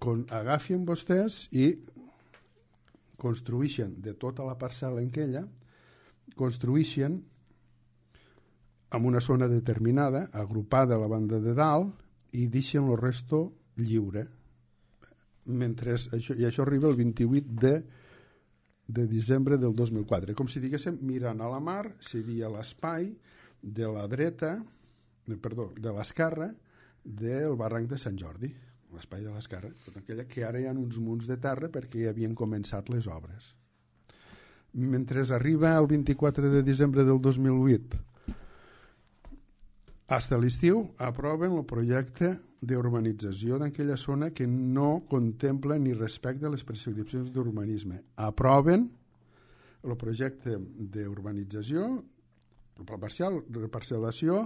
Speaker 3: con, agafin vostès i construïxen de tota la parcel·la en aquella, construïxen en una zona determinada, agrupada a la banda de dalt, i deixen el resto lliure. Mentre això, i això arriba el vint-i-vuit de, de desembre del dos mil quatre. Com si diguéssim, mirant a la mar, seria l'espai de la dreta, de, perdó, de l'esquerra del barranc de Sant Jordi, l'espai de l'esquerra, aquella que ara hi ha uns munts de terra perquè ja havien començat les obres. Mentre arriba el vint-i-quatre de desembre del dos mil vuit, fins a l'estiu aproven el projecte d'urbanització d'aquella zona que no contempla ni respecta les prescripcions d'urbanisme. Aproven el projecte d'urbanització, el pla parcial, reparcel·lació,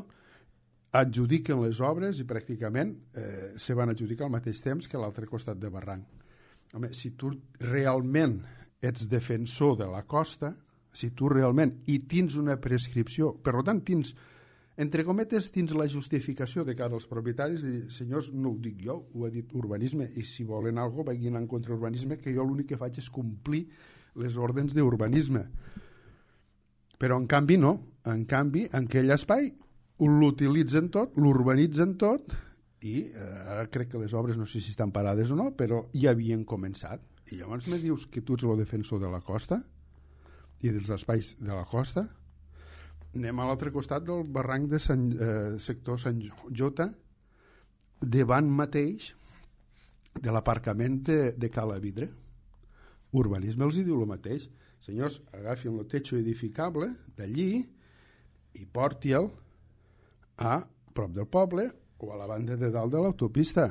Speaker 3: adjudiquen les obres i pràcticament eh, se van adjudicar al mateix temps que a l'altre costat de barranc. Home, si tu realment ets defensor de la costa, si tu realment hi tens una prescripció, per tant tens, entre cometes, tens la justificació de cara als propietaris de dir, senyors, no ho dic jo, ho ha dit urbanisme, i si volen alguna cosa vagin en contra urbanisme, que jo l'únic que faig és complir les ordres d'urbanisme. Però en canvi no, en canvi en aquell espai l'utilitzen tot, l'urbanitzen tot, i eh, ara crec que les obres no sé si estan parades o no, però ja havien començat. I llavors me dius que tu ets el defensor de la costa i dels espais de la costa. Anem a l'altre costat del barranc de Sant, eh, sector Sant Jota, davant mateix de l'aparcament de, de Cala Vidre. Urbanisme els hi diu el mateix. Senyors, agafin el techo edificable d'allí i porti-el a prop del poble o a la banda de dalt de l'autopista.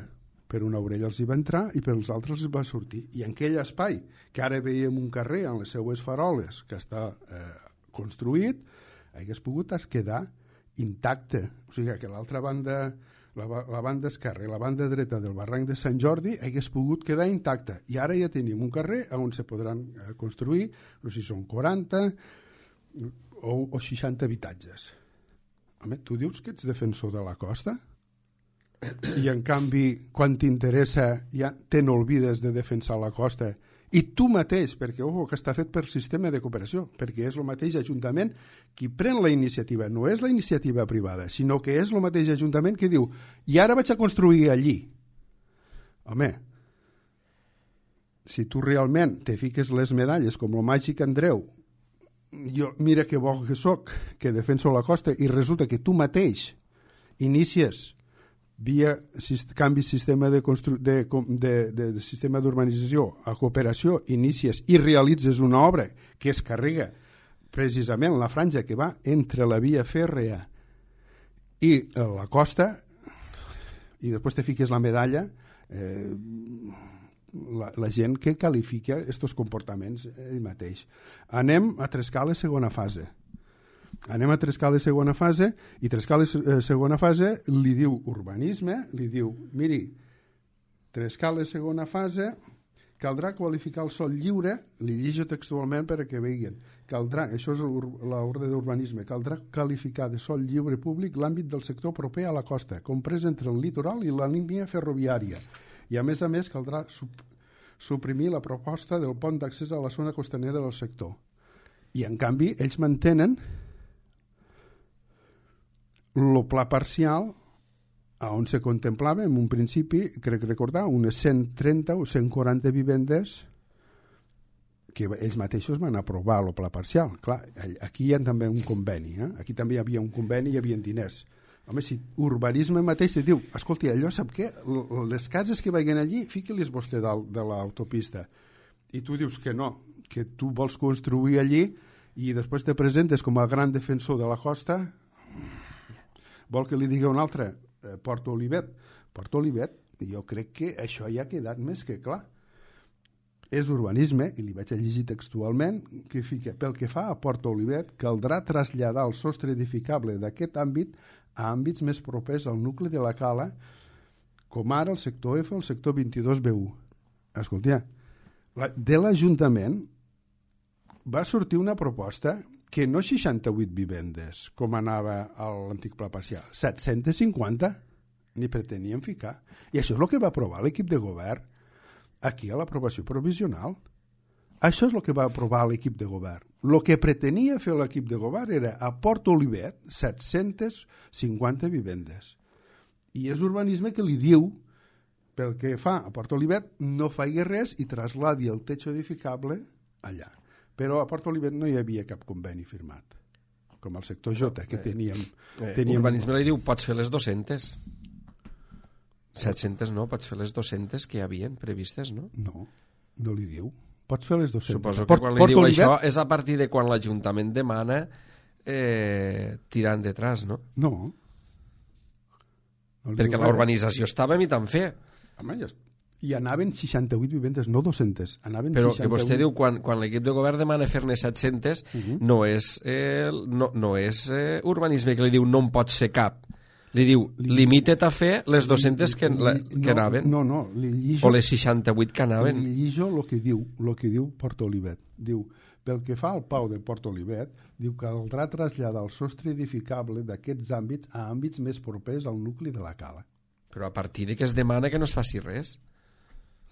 Speaker 3: Per una orella els hi va entrar i per els altres els va sortir. I en aquell espai, que ara veiem un carrer amb les seues faroles que està eh, construït, hagués pogut quedar intacte. O sigui que l'altra banda, la, la banda esquerra i la banda dreta del barranc de Sant Jordi hagués pogut quedar intacta. I ara ja tenim un carrer on se podran eh, construir, no sé si són quaranta o, o seixanta habitatges. Home, tu dius que ets defensor de la costa? I en canvi, quan t'interessa, ja te n'olvides de defensar la costa. I tu mateix, perquè ojo, que està fet per sistema de cooperació, perquè és el mateix Ajuntament qui pren la iniciativa, no és la iniciativa privada, sinó que és el mateix Ajuntament que diu, i ara vaig a construir allí. Home, si tu realment te fiques les medalles com el màgic Andreu, jo mira que bo que soc, que defenso la costa, i resulta que tu mateix inicies via canvi sistema de, constru... de, de, de, de sistema d'urbanització a cooperació, inicies i realitzes una obra que es carrega precisament la franja que va entre la via fèrrea i la costa, i després te fiques la medalla, eh, la, la gent que qualifica aquests comportaments ell mateix. Anem a Trescales segona fase. Anem a Trescales segona fase, i Trescales eh, segona fase li diu urbanisme, li diu, miri, Trescales segona fase, caldrà qualificar el sòl lliure, li llegeixo textualment perquè veien, caldrà, això és l'ordre d'urbanisme, caldrà qualificar de sòl lliure públic l'àmbit del sector proper a la costa, comprès entre el litoral i la línia ferroviària, i a més a més caldrà sup suprimir la proposta del pont d'accés a la zona costanera del sector. I en canvi ells mantenen el pla parcial on se contemplava en un principi, crec recordar, unes cent trenta o cent quaranta vivendes que ells mateixos van aprovar el pla parcial. Clar, aquí hi ha també un conveni, eh? Aquí també hi havia un conveni i hi havia diners. Home, si urbanisme mateix te diu, escolti, allò sap què? Les cases que vagin allí, fiqui-les vostè dalt de l'autopista. I tu dius que no, que tu vols construir allí i després te presentes com a gran defensor de la costa. Vol que li digui un altre, eh, Port Olivet. Port Olivet, jo crec que això ja ha quedat més que clar. És urbanisme, i li vaig a llegir textualment, que fica, pel que fa a Port Olivet, caldrà traslladar el sostre edificable d'aquest àmbit a àmbits més propers al nucli de la cala, com ara el sector F o el sector vint-i-dos B u. Escolta, la, de l'Ajuntament va sortir una proposta que no seixanta-vuit vivendes, com anava a l'antic pla parcial, set-cents cinquanta ni pretenien ficar. I això és el que va aprovar l'equip de govern aquí a l'aprovació provisional. Això és el que va aprovar l'equip de govern. El que pretenia fer l'equip de govern era a Port Olivet set-cents cinquanta vivendes. I és urbanisme que li diu, pel que fa a Port Olivet, no faci res i trasladi el techo edificable allà. Però a Port Olivet no hi havia cap conveni firmat, com al sector J, que teníem...
Speaker 2: Eh,
Speaker 3: teníem...
Speaker 2: Urbanisme li diu, pots fer les dues-centes. set-centes no, pots fer les dues-centes que hi havien previstes, no?
Speaker 3: No, no li diu. Pots fer les dues-centes.
Speaker 2: Suposo que quan li diu això és a partir de quan l'Ajuntament demana eh, tirar endetrás, no?
Speaker 3: No.
Speaker 2: no Perquè la urbanització estava imitant fer.
Speaker 3: Home, ja i anaven seixanta-vuit vivendes, no dues-centes. Anaven
Speaker 2: però
Speaker 3: seixanta-vuit...
Speaker 2: que vostè diu, quan, quan l'equip de govern demana fer-ne set-centes, uh-huh. no és, eh, no, no és eh, urbanisme que li diu no en pots fer cap. Li diu, limita't a fer les dues-centes que, la, que
Speaker 3: no,
Speaker 2: anaven.
Speaker 3: No, no, li llijo,
Speaker 2: o les seixanta-vuit que anaven.
Speaker 3: Li llijo el que diu, el que diu Port Olivet. Diu, pel que fa al Pau de Port Olivet, diu que caldrà traslladar el sostre edificable d'aquests àmbits a àmbits més propers al nucli de la cala.
Speaker 2: Però a partir de que es demana que no es faci res.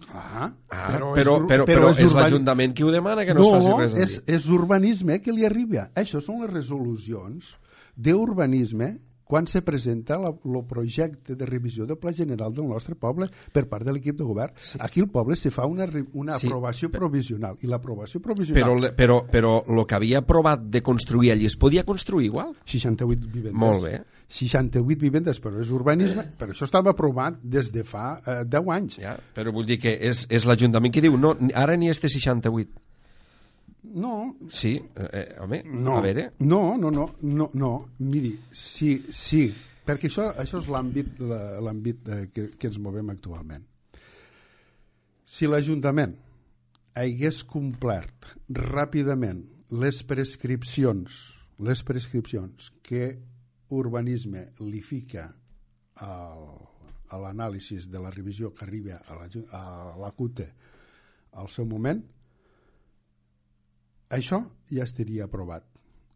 Speaker 3: Ah,
Speaker 2: ah
Speaker 3: però,
Speaker 2: però,
Speaker 3: és,
Speaker 2: però, però, però és, és l'Ajuntament qui ho demana que no, no es faci res.
Speaker 3: No, és, és urbanisme que li arriba. Això són les resolucions d'urbanisme quan se presenta el projecte de revisió del Pla General del nostre poble per part de l'equip de govern. Sí. Aquí al poble se fa una, una sí, aprovació però, provisional i l'aprovació provisional...
Speaker 2: Però, però, però el que havia aprovat de construir allí es podia construir igual?
Speaker 3: seixanta-vuit vivendes.
Speaker 2: Molt bé.
Speaker 3: seixanta-vuit vivendes, però és urbanisme, eh. però això estava aprovat des de fa eh, deu anys.
Speaker 2: Ja, però vull dir que és, és l'Ajuntament que diu no, ara n'hi este seixanta-vuit.
Speaker 3: No.
Speaker 2: Sí, eh, home,
Speaker 3: no,
Speaker 2: a veure...
Speaker 3: No, no, no, no, no. Miri, sí, sí, perquè això, això és l'àmbit l'àmbit que, que ens movem actualment. Si l'Ajuntament hagués complert ràpidament les prescripcions, les prescripcions que urbanisme li fica al, a l'anàlisi de la revisió que arriba a la, a la C U T E al seu moment, això ja estaria aprovat.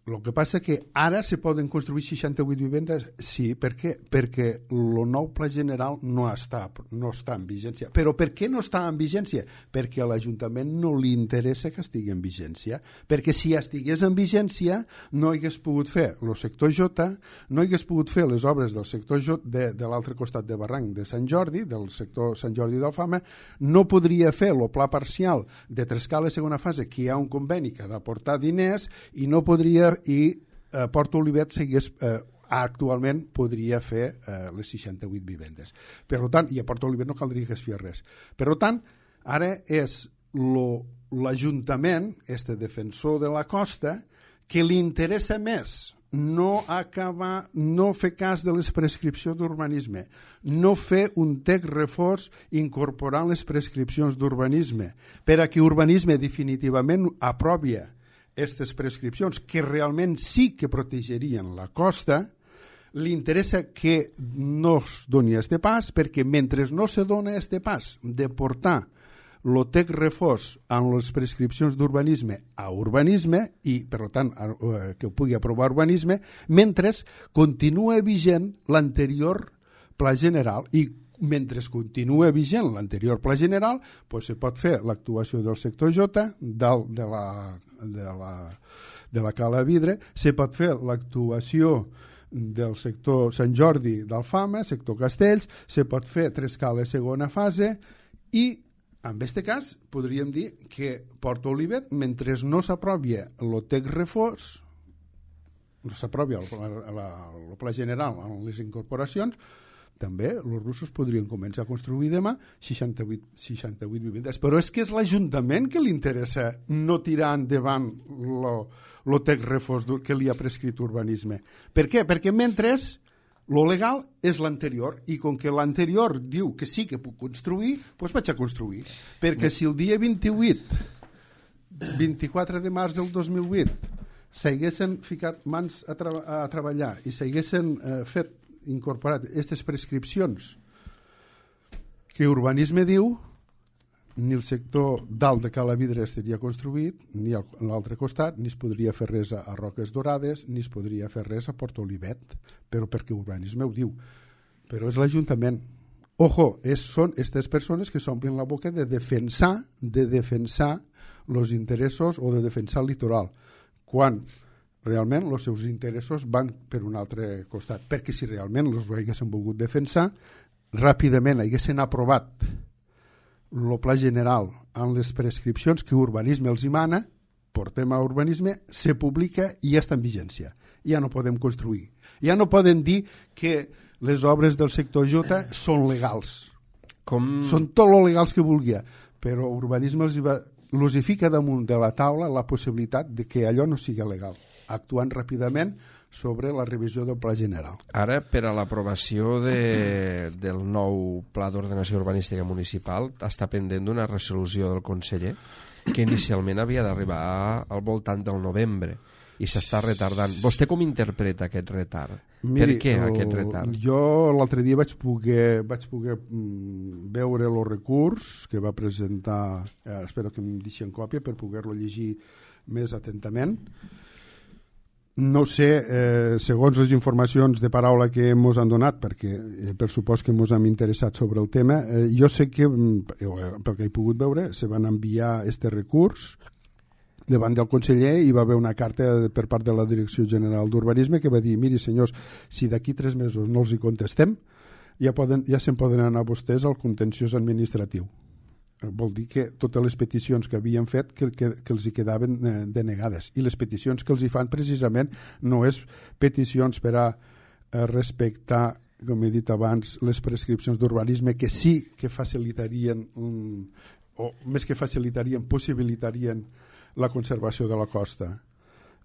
Speaker 3: El que passa que ara se poden construir seixanta-vuit vivendes, sí, per què? Perquè el nou pla general no està, no està en vigència. Però per què no està en vigència? Perquè a l'Ajuntament no li interessa que estigui en vigència. Perquè si estigués en vigència no hagués pogut fer el sector J, no hagués pogut fer les obres del sector J de, de l'altre costat de Barranc de Sant Jordi, del sector Sant Jordi d'Alfama, no podria fer el pla parcial de Trescala segona fase, que hi ha un conveni que ha d'aportar diners, i no podria i eh, Port Olivet seguís, eh, actualment podria fer eh, les seixanta-vuit vivendes. Per tant, i a Port Olivet no caldria que es fes res. Per tant, ara és l'Ajuntament, este defensor de la costa, que li interessa més no acabar, no fer cas de les prescripcions d'urbanisme, no fer un text reforç incorporant les prescripcions d'urbanisme, per a que urbanisme definitivament aprovi aquestes prescripcions que realment sí que protegerien la costa, li interessa que no es doni este pas, perquè mentre no se dona este pas de portar el text reforç amb les prescripcions d'urbanisme a urbanisme i, per tant, que ho pugui aprovar urbanisme, mentre continua vigent l'anterior pla general i mentre continua vigent l'anterior pla general, doncs se pot fer l'actuació del sector J, dalt de la, de la, de la cala vidre, se pot fer l'actuació del sector Sant Jordi d'Alfama, sector Castells, se pot fer Trescala segona fase i, en aquest cas, podríem dir que Port Olivet, mentre no s'aprovi el text reforç, no s'aprovi el, el, el pla general amb les incorporacions, també els russos podrien començar a construir demà seixanta-vuit, seixanta-vuit vivendes. Però és que és l'Ajuntament que li interessa no tirar endavant el text reforç que li ha prescrit urbanisme. Per què? Perquè mentre lo legal és l'anterior i com que l'anterior diu que sí que puc construir, doncs vaig a construir. Perquè si el dia vint-i-vuit, vint-i-quatre de març del dos mil vuit s'haguessin ficat mans a, tra a treballar i s'haguessin eh, fet incorporat aquestes prescripcions que urbanisme diu, ni el sector dalt de Cala Vidre estaria construït, ni a l'altre costat, ni es podria fer res a Roques Dorades, ni es podria fer res a Port Olivet, però perquè urbanisme ho diu. Però és l'Ajuntament. Ojo, és, són aquestes persones que s'omplen la boca de defensar, de defensar els interessos o de defensar el litoral, quan realment els seus interessos van per un altre costat. Perquè si realment els haguessin volgut defensar, ràpidament haguessin aprovat el pla general amb les prescripcions que urbanisme els mana, portem a urbanisme, se publica i ja està en vigència. Ja no podem construir. Ja no poden dir que les obres del sector J són legals. Com... Són tot lo legals que vulgui, però urbanisme els hi, va, els hi fica damunt de la taula la possibilitat de que allò no sigui legal, actuant ràpidament sobre la revisió del pla general.
Speaker 2: Ara, per a l'aprovació de, del nou Pla d'Ordenació Urbanística Municipal, està pendent d'una resolució del conseller que inicialment havia d'arribar al voltant del novembre i s'està retardant. Vostè com interpreta aquest retard?
Speaker 3: Miri,
Speaker 2: per què aquest retard?
Speaker 3: Jo l'altre dia vaig poder, vaig poder mm, veure el recurs que va presentar, eh, espero que em deixi en còpia per poder-lo llegir més atentament. No sé, eh, segons les informacions de paraula que ens han donat, perquè eh, per supost que ens hem interessat sobre el tema, eh, jo sé que, eh, pel que he pogut veure, se van enviar este recurs davant del conseller i va haver una carta per part de la Direcció General d'Urbanisme que va dir, miri senyors, si d'aquí tres mesos no els hi contestem, ja, poden, ja se'n poden anar vostès al contenciós administratiu. Vol dir que totes les peticions que havien fet que, que, que els hi quedaven eh, denegades, i les peticions que els hi fan precisament no és peticions per a eh, respectar, com he dit abans, les prescripcions d'urbanisme que sí que facilitarien um, o més que facilitarien, possibilitarien la conservació de la costa,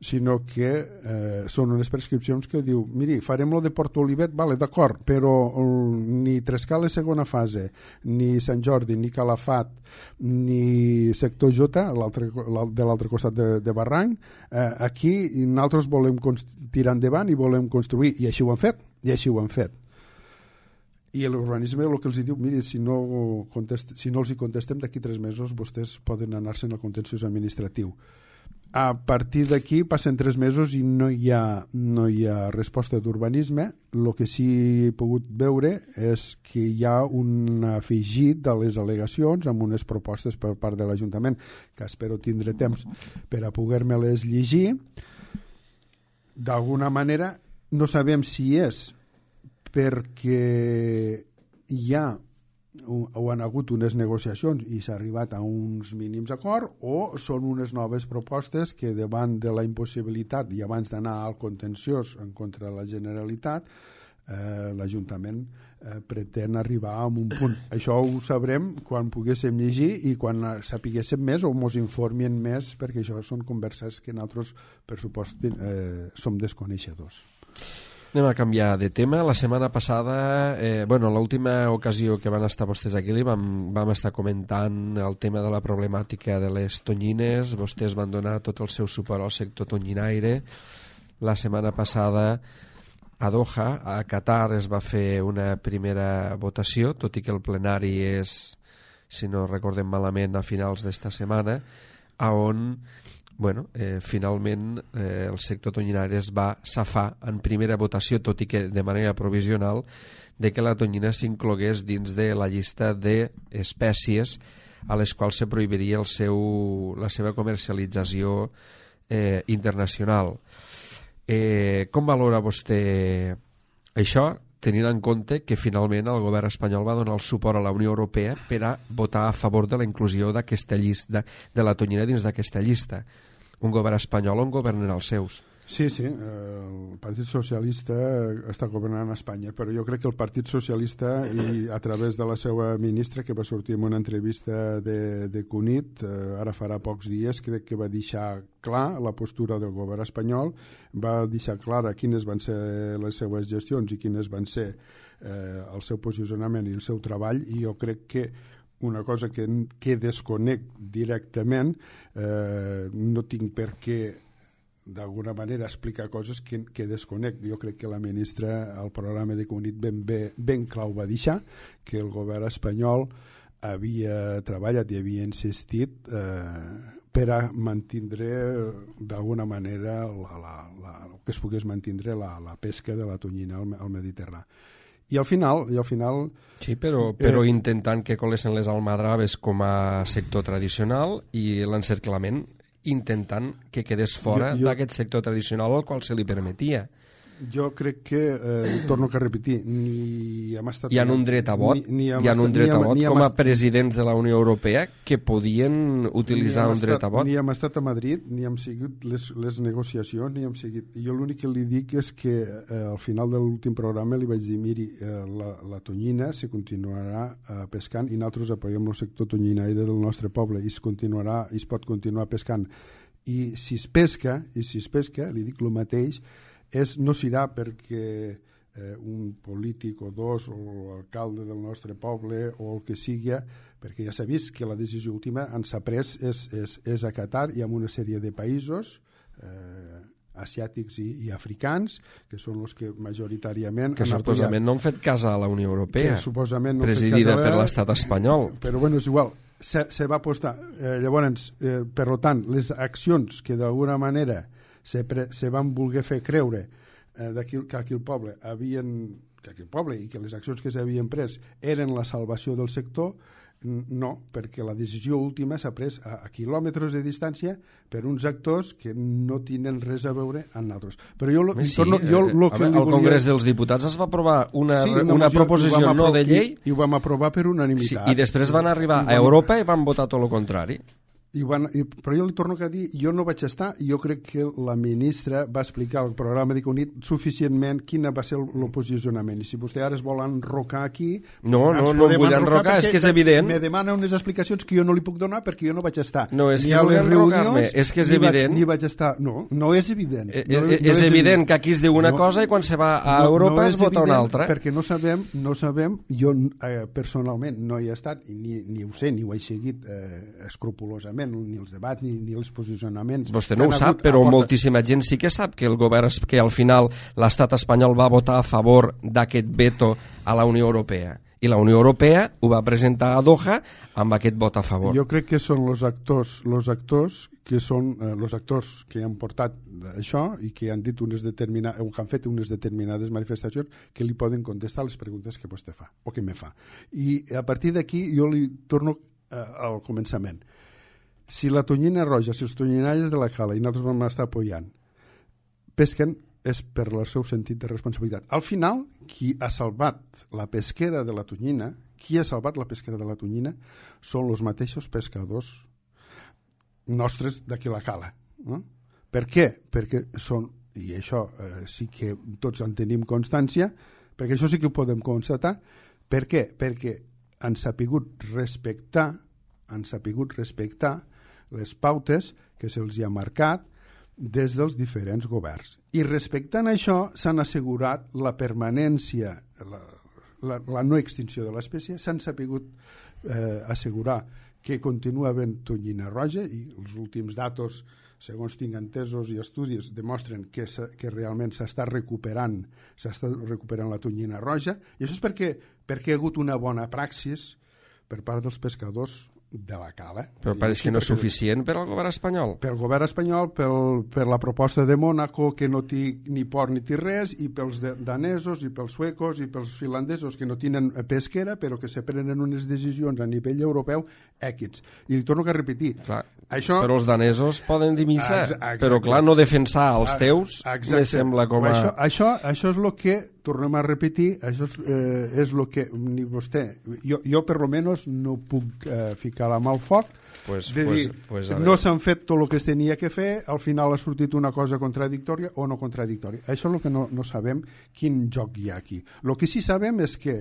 Speaker 3: sinó que eh, són unes prescripcions que diu, miri, farem lo de Port Olivet, vale, d'acord, però um, ni Trescales segona fase, ni Sant Jordi, ni Calafat, ni sector J, de l'altre costat de, de Barranc, eh, aquí nosaltres volem tirar endavant i volem construir, i així ho han fet, i així ho han fet. I l'urbanisme el que els diu, miri, si no, contest, si no els hi contestem d'aquí tres mesos, vostès poden anar-se en el contenciós administratiu. A partir d'aquí passen tres mesos i no hi ha, no hi ha resposta d'urbanisme. El que sí he pogut veure és que hi ha un afegit de les al·legacions amb unes propostes per part de l'Ajuntament, que espero tindre temps per a poder-me-les llegir. D'alguna manera no sabem si és perquè hi ha o han hagut unes negociacions i s'ha arribat a uns mínims acords, o són unes noves propostes que davant de la impossibilitat i abans d'anar al contenciós en contra de la Generalitat, eh, l'Ajuntament eh, pretén arribar a un punt. Això ho sabrem quan poguéssim llegir i quan sapiguéssim més o ens informin més, perquè això són converses que nosaltres, per supost, eh, som desconeixedors.
Speaker 2: Anem a canviar de tema. La setmana passada, eh, bueno, l'última ocasió que van estar vostès aquí li vam, vam estar comentant el tema de la problemàtica de les tonyines. Vostès van donar tot el seu suport al sector tonyinaire. La setmana passada a Doha, a Qatar, es va fer una primera votació, tot i que el plenari és, si no recordem malament, a finals d'esta setmana, on bueno, eh, finalment eh, el sector tonyinari es va safar en primera votació, tot i que de manera provisional, de que la tonyina s'inclogués dins de la llista d'espècies a les quals se prohibiria el seu, la seva comercialització eh, internacional. Eh, com valora vostè això, tenint en compte que finalment el govern espanyol va donar el suport a la Unió Europea per a votar a favor de la inclusió d'aquesta llista, de la tonyina dins d'aquesta llista? Un govern espanyol on governen els seus.
Speaker 3: Sí, sí, el Partit Socialista està governant a Espanya, però jo crec que el Partit Socialista, i a través de la seva ministra, que va sortir en una entrevista de, de Cunit, eh, ara farà pocs dies, crec que va deixar clar la postura del govern espanyol, va deixar clara quines van ser les seues gestions i quines van ser eh, el seu posicionament i el seu treball, i jo crec que una cosa que, que desconec directament, eh, no tinc per què d'alguna manera explicar coses que, que desconec. Jo crec que la ministra al programa de Cunit ben, ben, ben clau va deixar que el govern espanyol havia treballat i havia insistit eh, per a mantindre d'alguna manera la, la, la, que es pogués mantindre la, la pesca de la tonyina al, al Mediterrani. I al final... I al final
Speaker 2: sí, però, però eh, intentant que colessin les almadraves com a sector tradicional i l'encerclament intentant que quedés fora d'aquest sector tradicional al qual se li permetia.
Speaker 3: Jo crec que, eh, torno a repetir, ni hem estat...
Speaker 2: Hi ha un dret a vot, ni, ni hi ha un dret a vot com a presidents de la Unió Europea que podien utilitzar un dret a vot.
Speaker 3: Ni hem estat a Madrid, ni hem seguit les, les negociacions, ni hem seguit... Jo l'únic que li dic és que eh, al final de l'últim programa li vaig dir, miri, eh, la, la tonyina se continuarà eh, pescant i nosaltres apoyem el sector tonyinaire del nostre poble i es continuarà, i es pot continuar pescant. I si es pesca, i si es pesca, li dic el mateix, és, no serà perquè eh, un polític o dos o l'alcalde del nostre poble o el que sigui, perquè ja s'ha vist que la decisió última en s'ha pres és, és, és a Qatar i amb una sèrie de països eh, asiàtics i, i africans, que són els que majoritàriament...
Speaker 2: Que suposament no han fet cas a la Unió Europea,
Speaker 3: no
Speaker 2: presidida per l'estat espanyol.
Speaker 3: Però bueno, és igual, se, se va apostar. Eh, llavors, eh, per tant, les accions que d'alguna manera se, pre, se van voler fer creure eh, d'aquí, que aquí el poble havien, que aquí el poble i que les accions que s'havien pres eren la salvació del sector, no, perquè la decisió última s'ha pres a, a quilòmetres de distància per uns actors que no tenen res a veure amb nosaltres. Però jo, lo,
Speaker 2: sí,
Speaker 3: torno, jo lo que
Speaker 2: al
Speaker 3: volia...
Speaker 2: Congrés dels Diputats es va aprovar una, sí, una, una proposició no de llei
Speaker 3: i, i ho vam aprovar per unanimitat.
Speaker 2: Sí, i després van arribar a Europa i van votar tot el contrari.
Speaker 3: I van, i, però jo li torno a dir, jo no vaig estar i jo crec que la ministra va explicar al programa d'Iconit suficientment quin va ser el, el posicionament, i si vostè ara es vol enrocar aquí
Speaker 2: no, no, no em vull enrocar, és que és evident
Speaker 3: me demana unes explicacions que jo no li puc donar perquè jo no vaig estar
Speaker 2: no, és que vull enrocar-me, és que és evident
Speaker 3: vaig, ni vaig estar, no, no és evident
Speaker 2: eh,
Speaker 3: no,
Speaker 2: no
Speaker 3: és,
Speaker 2: és evident que aquí es diu una no, cosa i quan se va a no, Europa no es vota una altra
Speaker 3: perquè no sabem, no sabem jo eh, personalment no hi he estat ni, ni ho sé, ni ho he seguit eh, escrupolosament, ni els debats ni, ni els posicionaments.
Speaker 2: Vostè no ho sap, però porta... moltíssima gent sí que sap que el govern, que al final l'estat espanyol va votar a favor d'aquest veto a la Unió Europea. I la Unió Europea ho va presentar a Doha amb aquest vot a favor.
Speaker 3: Jo crec que són els actors, els actors que són eh, els actors que han portat això i que han dit unes determinades, o que han fet unes determinades manifestacions que li poden contestar les preguntes que vostè fa o que me fa. I a partir d'aquí jo li torno eh, al començament. Si la tonyina roja, si els tonyinaires de la cala, i nosaltres vam estar apoyant, pesquen, és per el seu sentit de responsabilitat. Al final, qui ha salvat la pesquera de la tonyina, qui ha salvat la pesquera de la tonyina, són els mateixos pescadors nostres d'aquí la cala. No? Per què? Perquè són, i això eh, sí que tots en tenim constància, perquè això sí que ho podem constatar. Per què? Perquè han sapigut respectar, han sapigut respectar les pautes que se'ls ha marcat des dels diferents governs. I respectant això s'han assegurat la permanència, la, la, la no extinció de l'espècie, s'han sapigut eh, assegurar que continua havent tonyina roja i els últims datos, segons tinc entesos i estudis, demostren que, que realment s'està recuperant, s'està recuperant la tonyina roja, i això és perquè, perquè hi ha hagut una bona praxis per part dels pescadors de la cala.
Speaker 2: Però pareix que no és suficient per al govern espanyol.
Speaker 3: Pel govern espanyol, pel, per la proposta de Mònaco, que no té ni port ni té res, i pels de, danesos, i pels suecos, i pels finlandesos, que no tenen pesquera, però que se prenen unes decisions a nivell europeu èquits. I li torno a repetir. Clar, això...
Speaker 2: Però els danesos poden dir missa, però clar, no defensar els teus me sembla com a...
Speaker 3: Això, això, això és el que, tornem a repetir, això és, eh, és el que ni vostè, jo, jo per lo menos no puc eh, ficar la mà al foc,
Speaker 2: pues,
Speaker 3: de
Speaker 2: pues,
Speaker 3: dir,
Speaker 2: pues,
Speaker 3: no s'han fet tot el que es tenia que fer, al final ha sortit una cosa contradictòria o no contradictòria. Això és el que no, no sabem quin joc hi ha aquí. El que sí sabem és que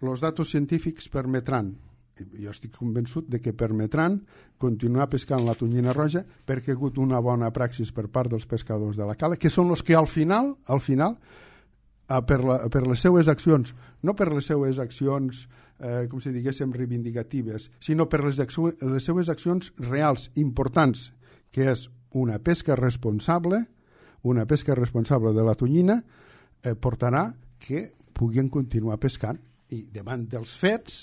Speaker 3: els datos científics permetran, jo estic convençut de que permetran continuar pescant la tonyina roja perquè ha hagut una bona praxis per part dels pescadors de la cala, que són els que al final, al final, per, la, per les seues accions, no per les seues accions eh, com si diguéssim reivindicatives, sinó per les, les seues accions reals, importants, que és una pesca responsable, una pesca responsable de la tonyina, eh, portarà que puguin continuar pescant i davant dels fets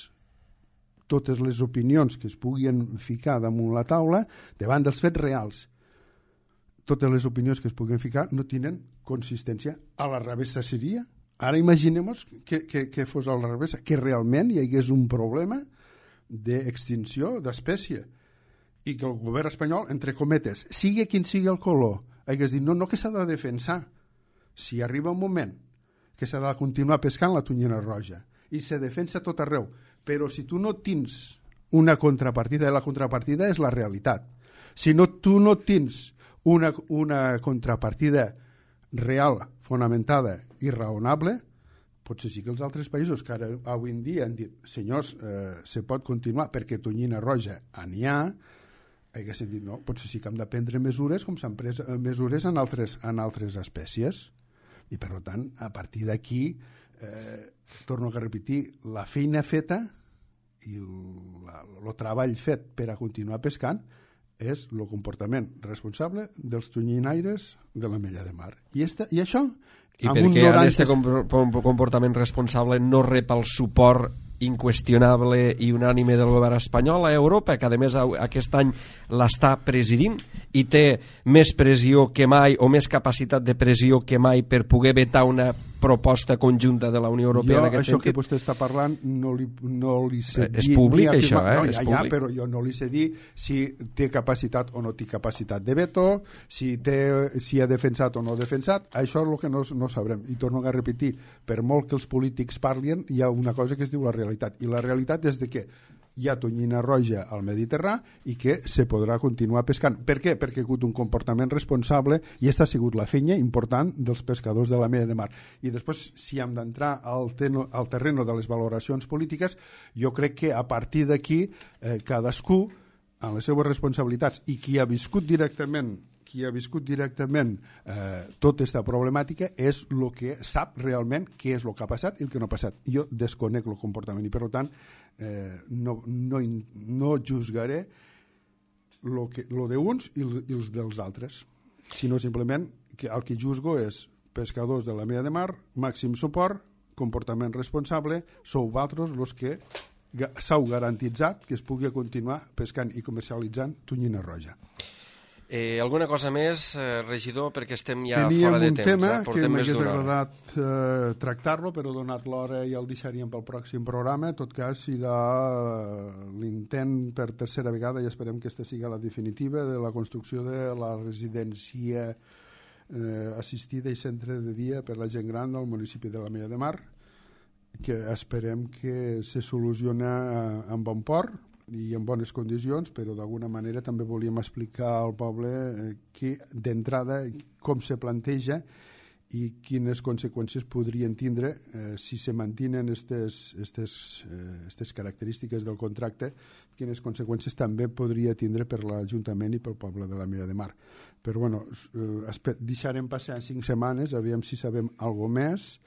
Speaker 3: totes les opinions que es puguin ficar damunt la taula davant dels fets reals. Totes les opinions que es puguin ficar no tenen consistència. A la revés seria. Ara imaginem que, que, que fos al revés, que realment hi hagués un problema d'extinció d'espècie i que el govern espanyol, entre cometes, sigui quin sigui el color, hagués dit no, no que s'ha de defensar. Si arriba un moment que s'ha de continuar pescant la tonyina roja i se defensa tot arreu, però si tu no tens una contrapartida, la contrapartida és la realitat. Si no, tu no tens una, una contrapartida real, fonamentada i raonable, potser sí que els altres països que ara avui en dia han dit senyors, eh, se pot continuar perquè tonyina roja n'hi ha, haguessin dit no, potser sí que hem de prendre mesures com s'han pres mesures en altres, en altres espècies. I per tant, a partir d'aquí, eh, torno a repetir, la feina feta i el treball fet per a continuar pescant és el comportament responsable dels tonyinaires de l'Ametlla de Mar. I, esta, i això...
Speaker 2: I per què noranta... aquest comportament responsable no rep el suport inqüestionable i unànime del govern espanyol a Europa, que a més aquest any l'està presidint i té més pressió que mai o més capacitat de pressió que mai per poder vetar una proposta conjunta de la Unió Europea
Speaker 3: jo,
Speaker 2: en aquest
Speaker 3: això
Speaker 2: sentit?
Speaker 3: Que vostè està parlant no li, no li sé dir...
Speaker 2: És públic això, eh?
Speaker 3: No,
Speaker 2: és
Speaker 3: ja,
Speaker 2: públic.
Speaker 3: ja, però jo no li sé dir si té capacitat o no té capacitat de veto, si, té, si ha defensat o no ha defensat, això és el que no, no sabrem. I torno a repetir, per molt que els polítics parlin, hi ha una cosa que es diu la realitat. I la realitat és de que hi ha tonyina roja al Mediterrà i que se podrà continuar pescant. Per què? Perquè ha hagut un comportament responsable i aquesta ha sigut la feina important dels pescadors de l'Ametlla de Mar. I després, si hem d'entrar al, al terreno de les valoracions polítiques, jo crec que a partir d'aquí eh, cadascú, amb les seues responsabilitats, i qui ha viscut directament qui ha viscut directament eh, tota aquesta problemàtica és el que sap realment què és el que ha passat i el que no ha passat. Jo desconec el comportament i, per tant, eh, no, no, no juzgaré lo, que, lo d'uns i, i els dels altres, sinó simplement que el que juzgo és pescadors de l'Ametlla de Mar, màxim suport, comportament responsable, sou vosaltres els que s'heu garantitzat que es pugui continuar pescant i comercialitzant tonyina roja.
Speaker 2: Eh, alguna cosa més, eh, regidor, perquè estem ja
Speaker 3: Teníem
Speaker 2: fora de
Speaker 3: un
Speaker 2: temps.
Speaker 3: tema
Speaker 2: eh?
Speaker 3: que m'hagués agradat eh, tractar-lo, però donat l'hora ja el deixaríem pel pròxim programa. En tot cas, serà l'intent per tercera vegada, i esperem que aquesta sigui la definitiva, de la construcció de la residència eh, assistida i centre de dia per la gent gran del municipi de l'Ametlla de Mar, que esperem que se soluciona en bon port i en bones condicions, però d'alguna manera també volíem explicar al poble eh, que d'entrada com se planteja i quines conseqüències podrien tindre eh, si se mantenen aquestes eh, característiques del contracte, quines conseqüències també podria tindre per l'Ajuntament i pel poble de l'Ametlla de Mar. Però bueno, eh, deixarem passar cinc setmanes, aviam si sabem alguna més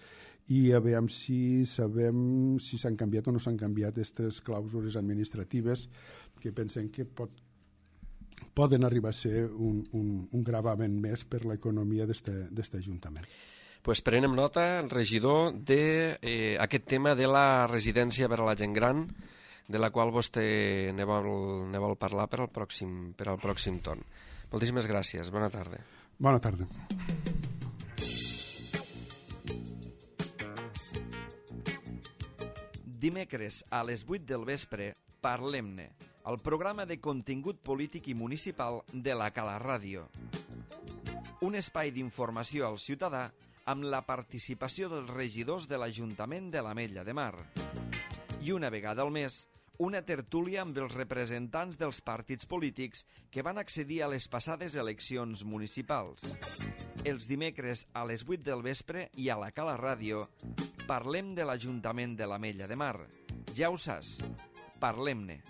Speaker 3: i a veure si sabem si s'han canviat o no s'han canviat aquestes clàusules administratives que pensem que pot, poden arribar a ser un, un, un gravament més per l'economia d'aquest Ajuntament.
Speaker 2: Pues prenem nota, regidor, d'aquest de, eh, tema de la residència per a la gent gran, de la qual vostè ne vol, ne vol parlar per al pròxim, per al pròxim torn. Moltíssimes gràcies. Bona tarda.
Speaker 3: Bona tarda.
Speaker 1: Dimecres a les vuit del vespre, Parlem-ne, el programa de contingut polític i municipal de la Cala Ràdio. Un espai d'informació al ciutadà amb la participació dels regidors de l'Ajuntament de l'Ametlla de Mar. I una vegada al mes, una tertúlia amb els representants dels partits polítics que van accedir a les passades eleccions municipals. Els dimecres a les vuit del vespre i a la Cala Ràdio parlem de l'Ajuntament de l'Ametlla de Mar. Ja ho saps, parlem-ne.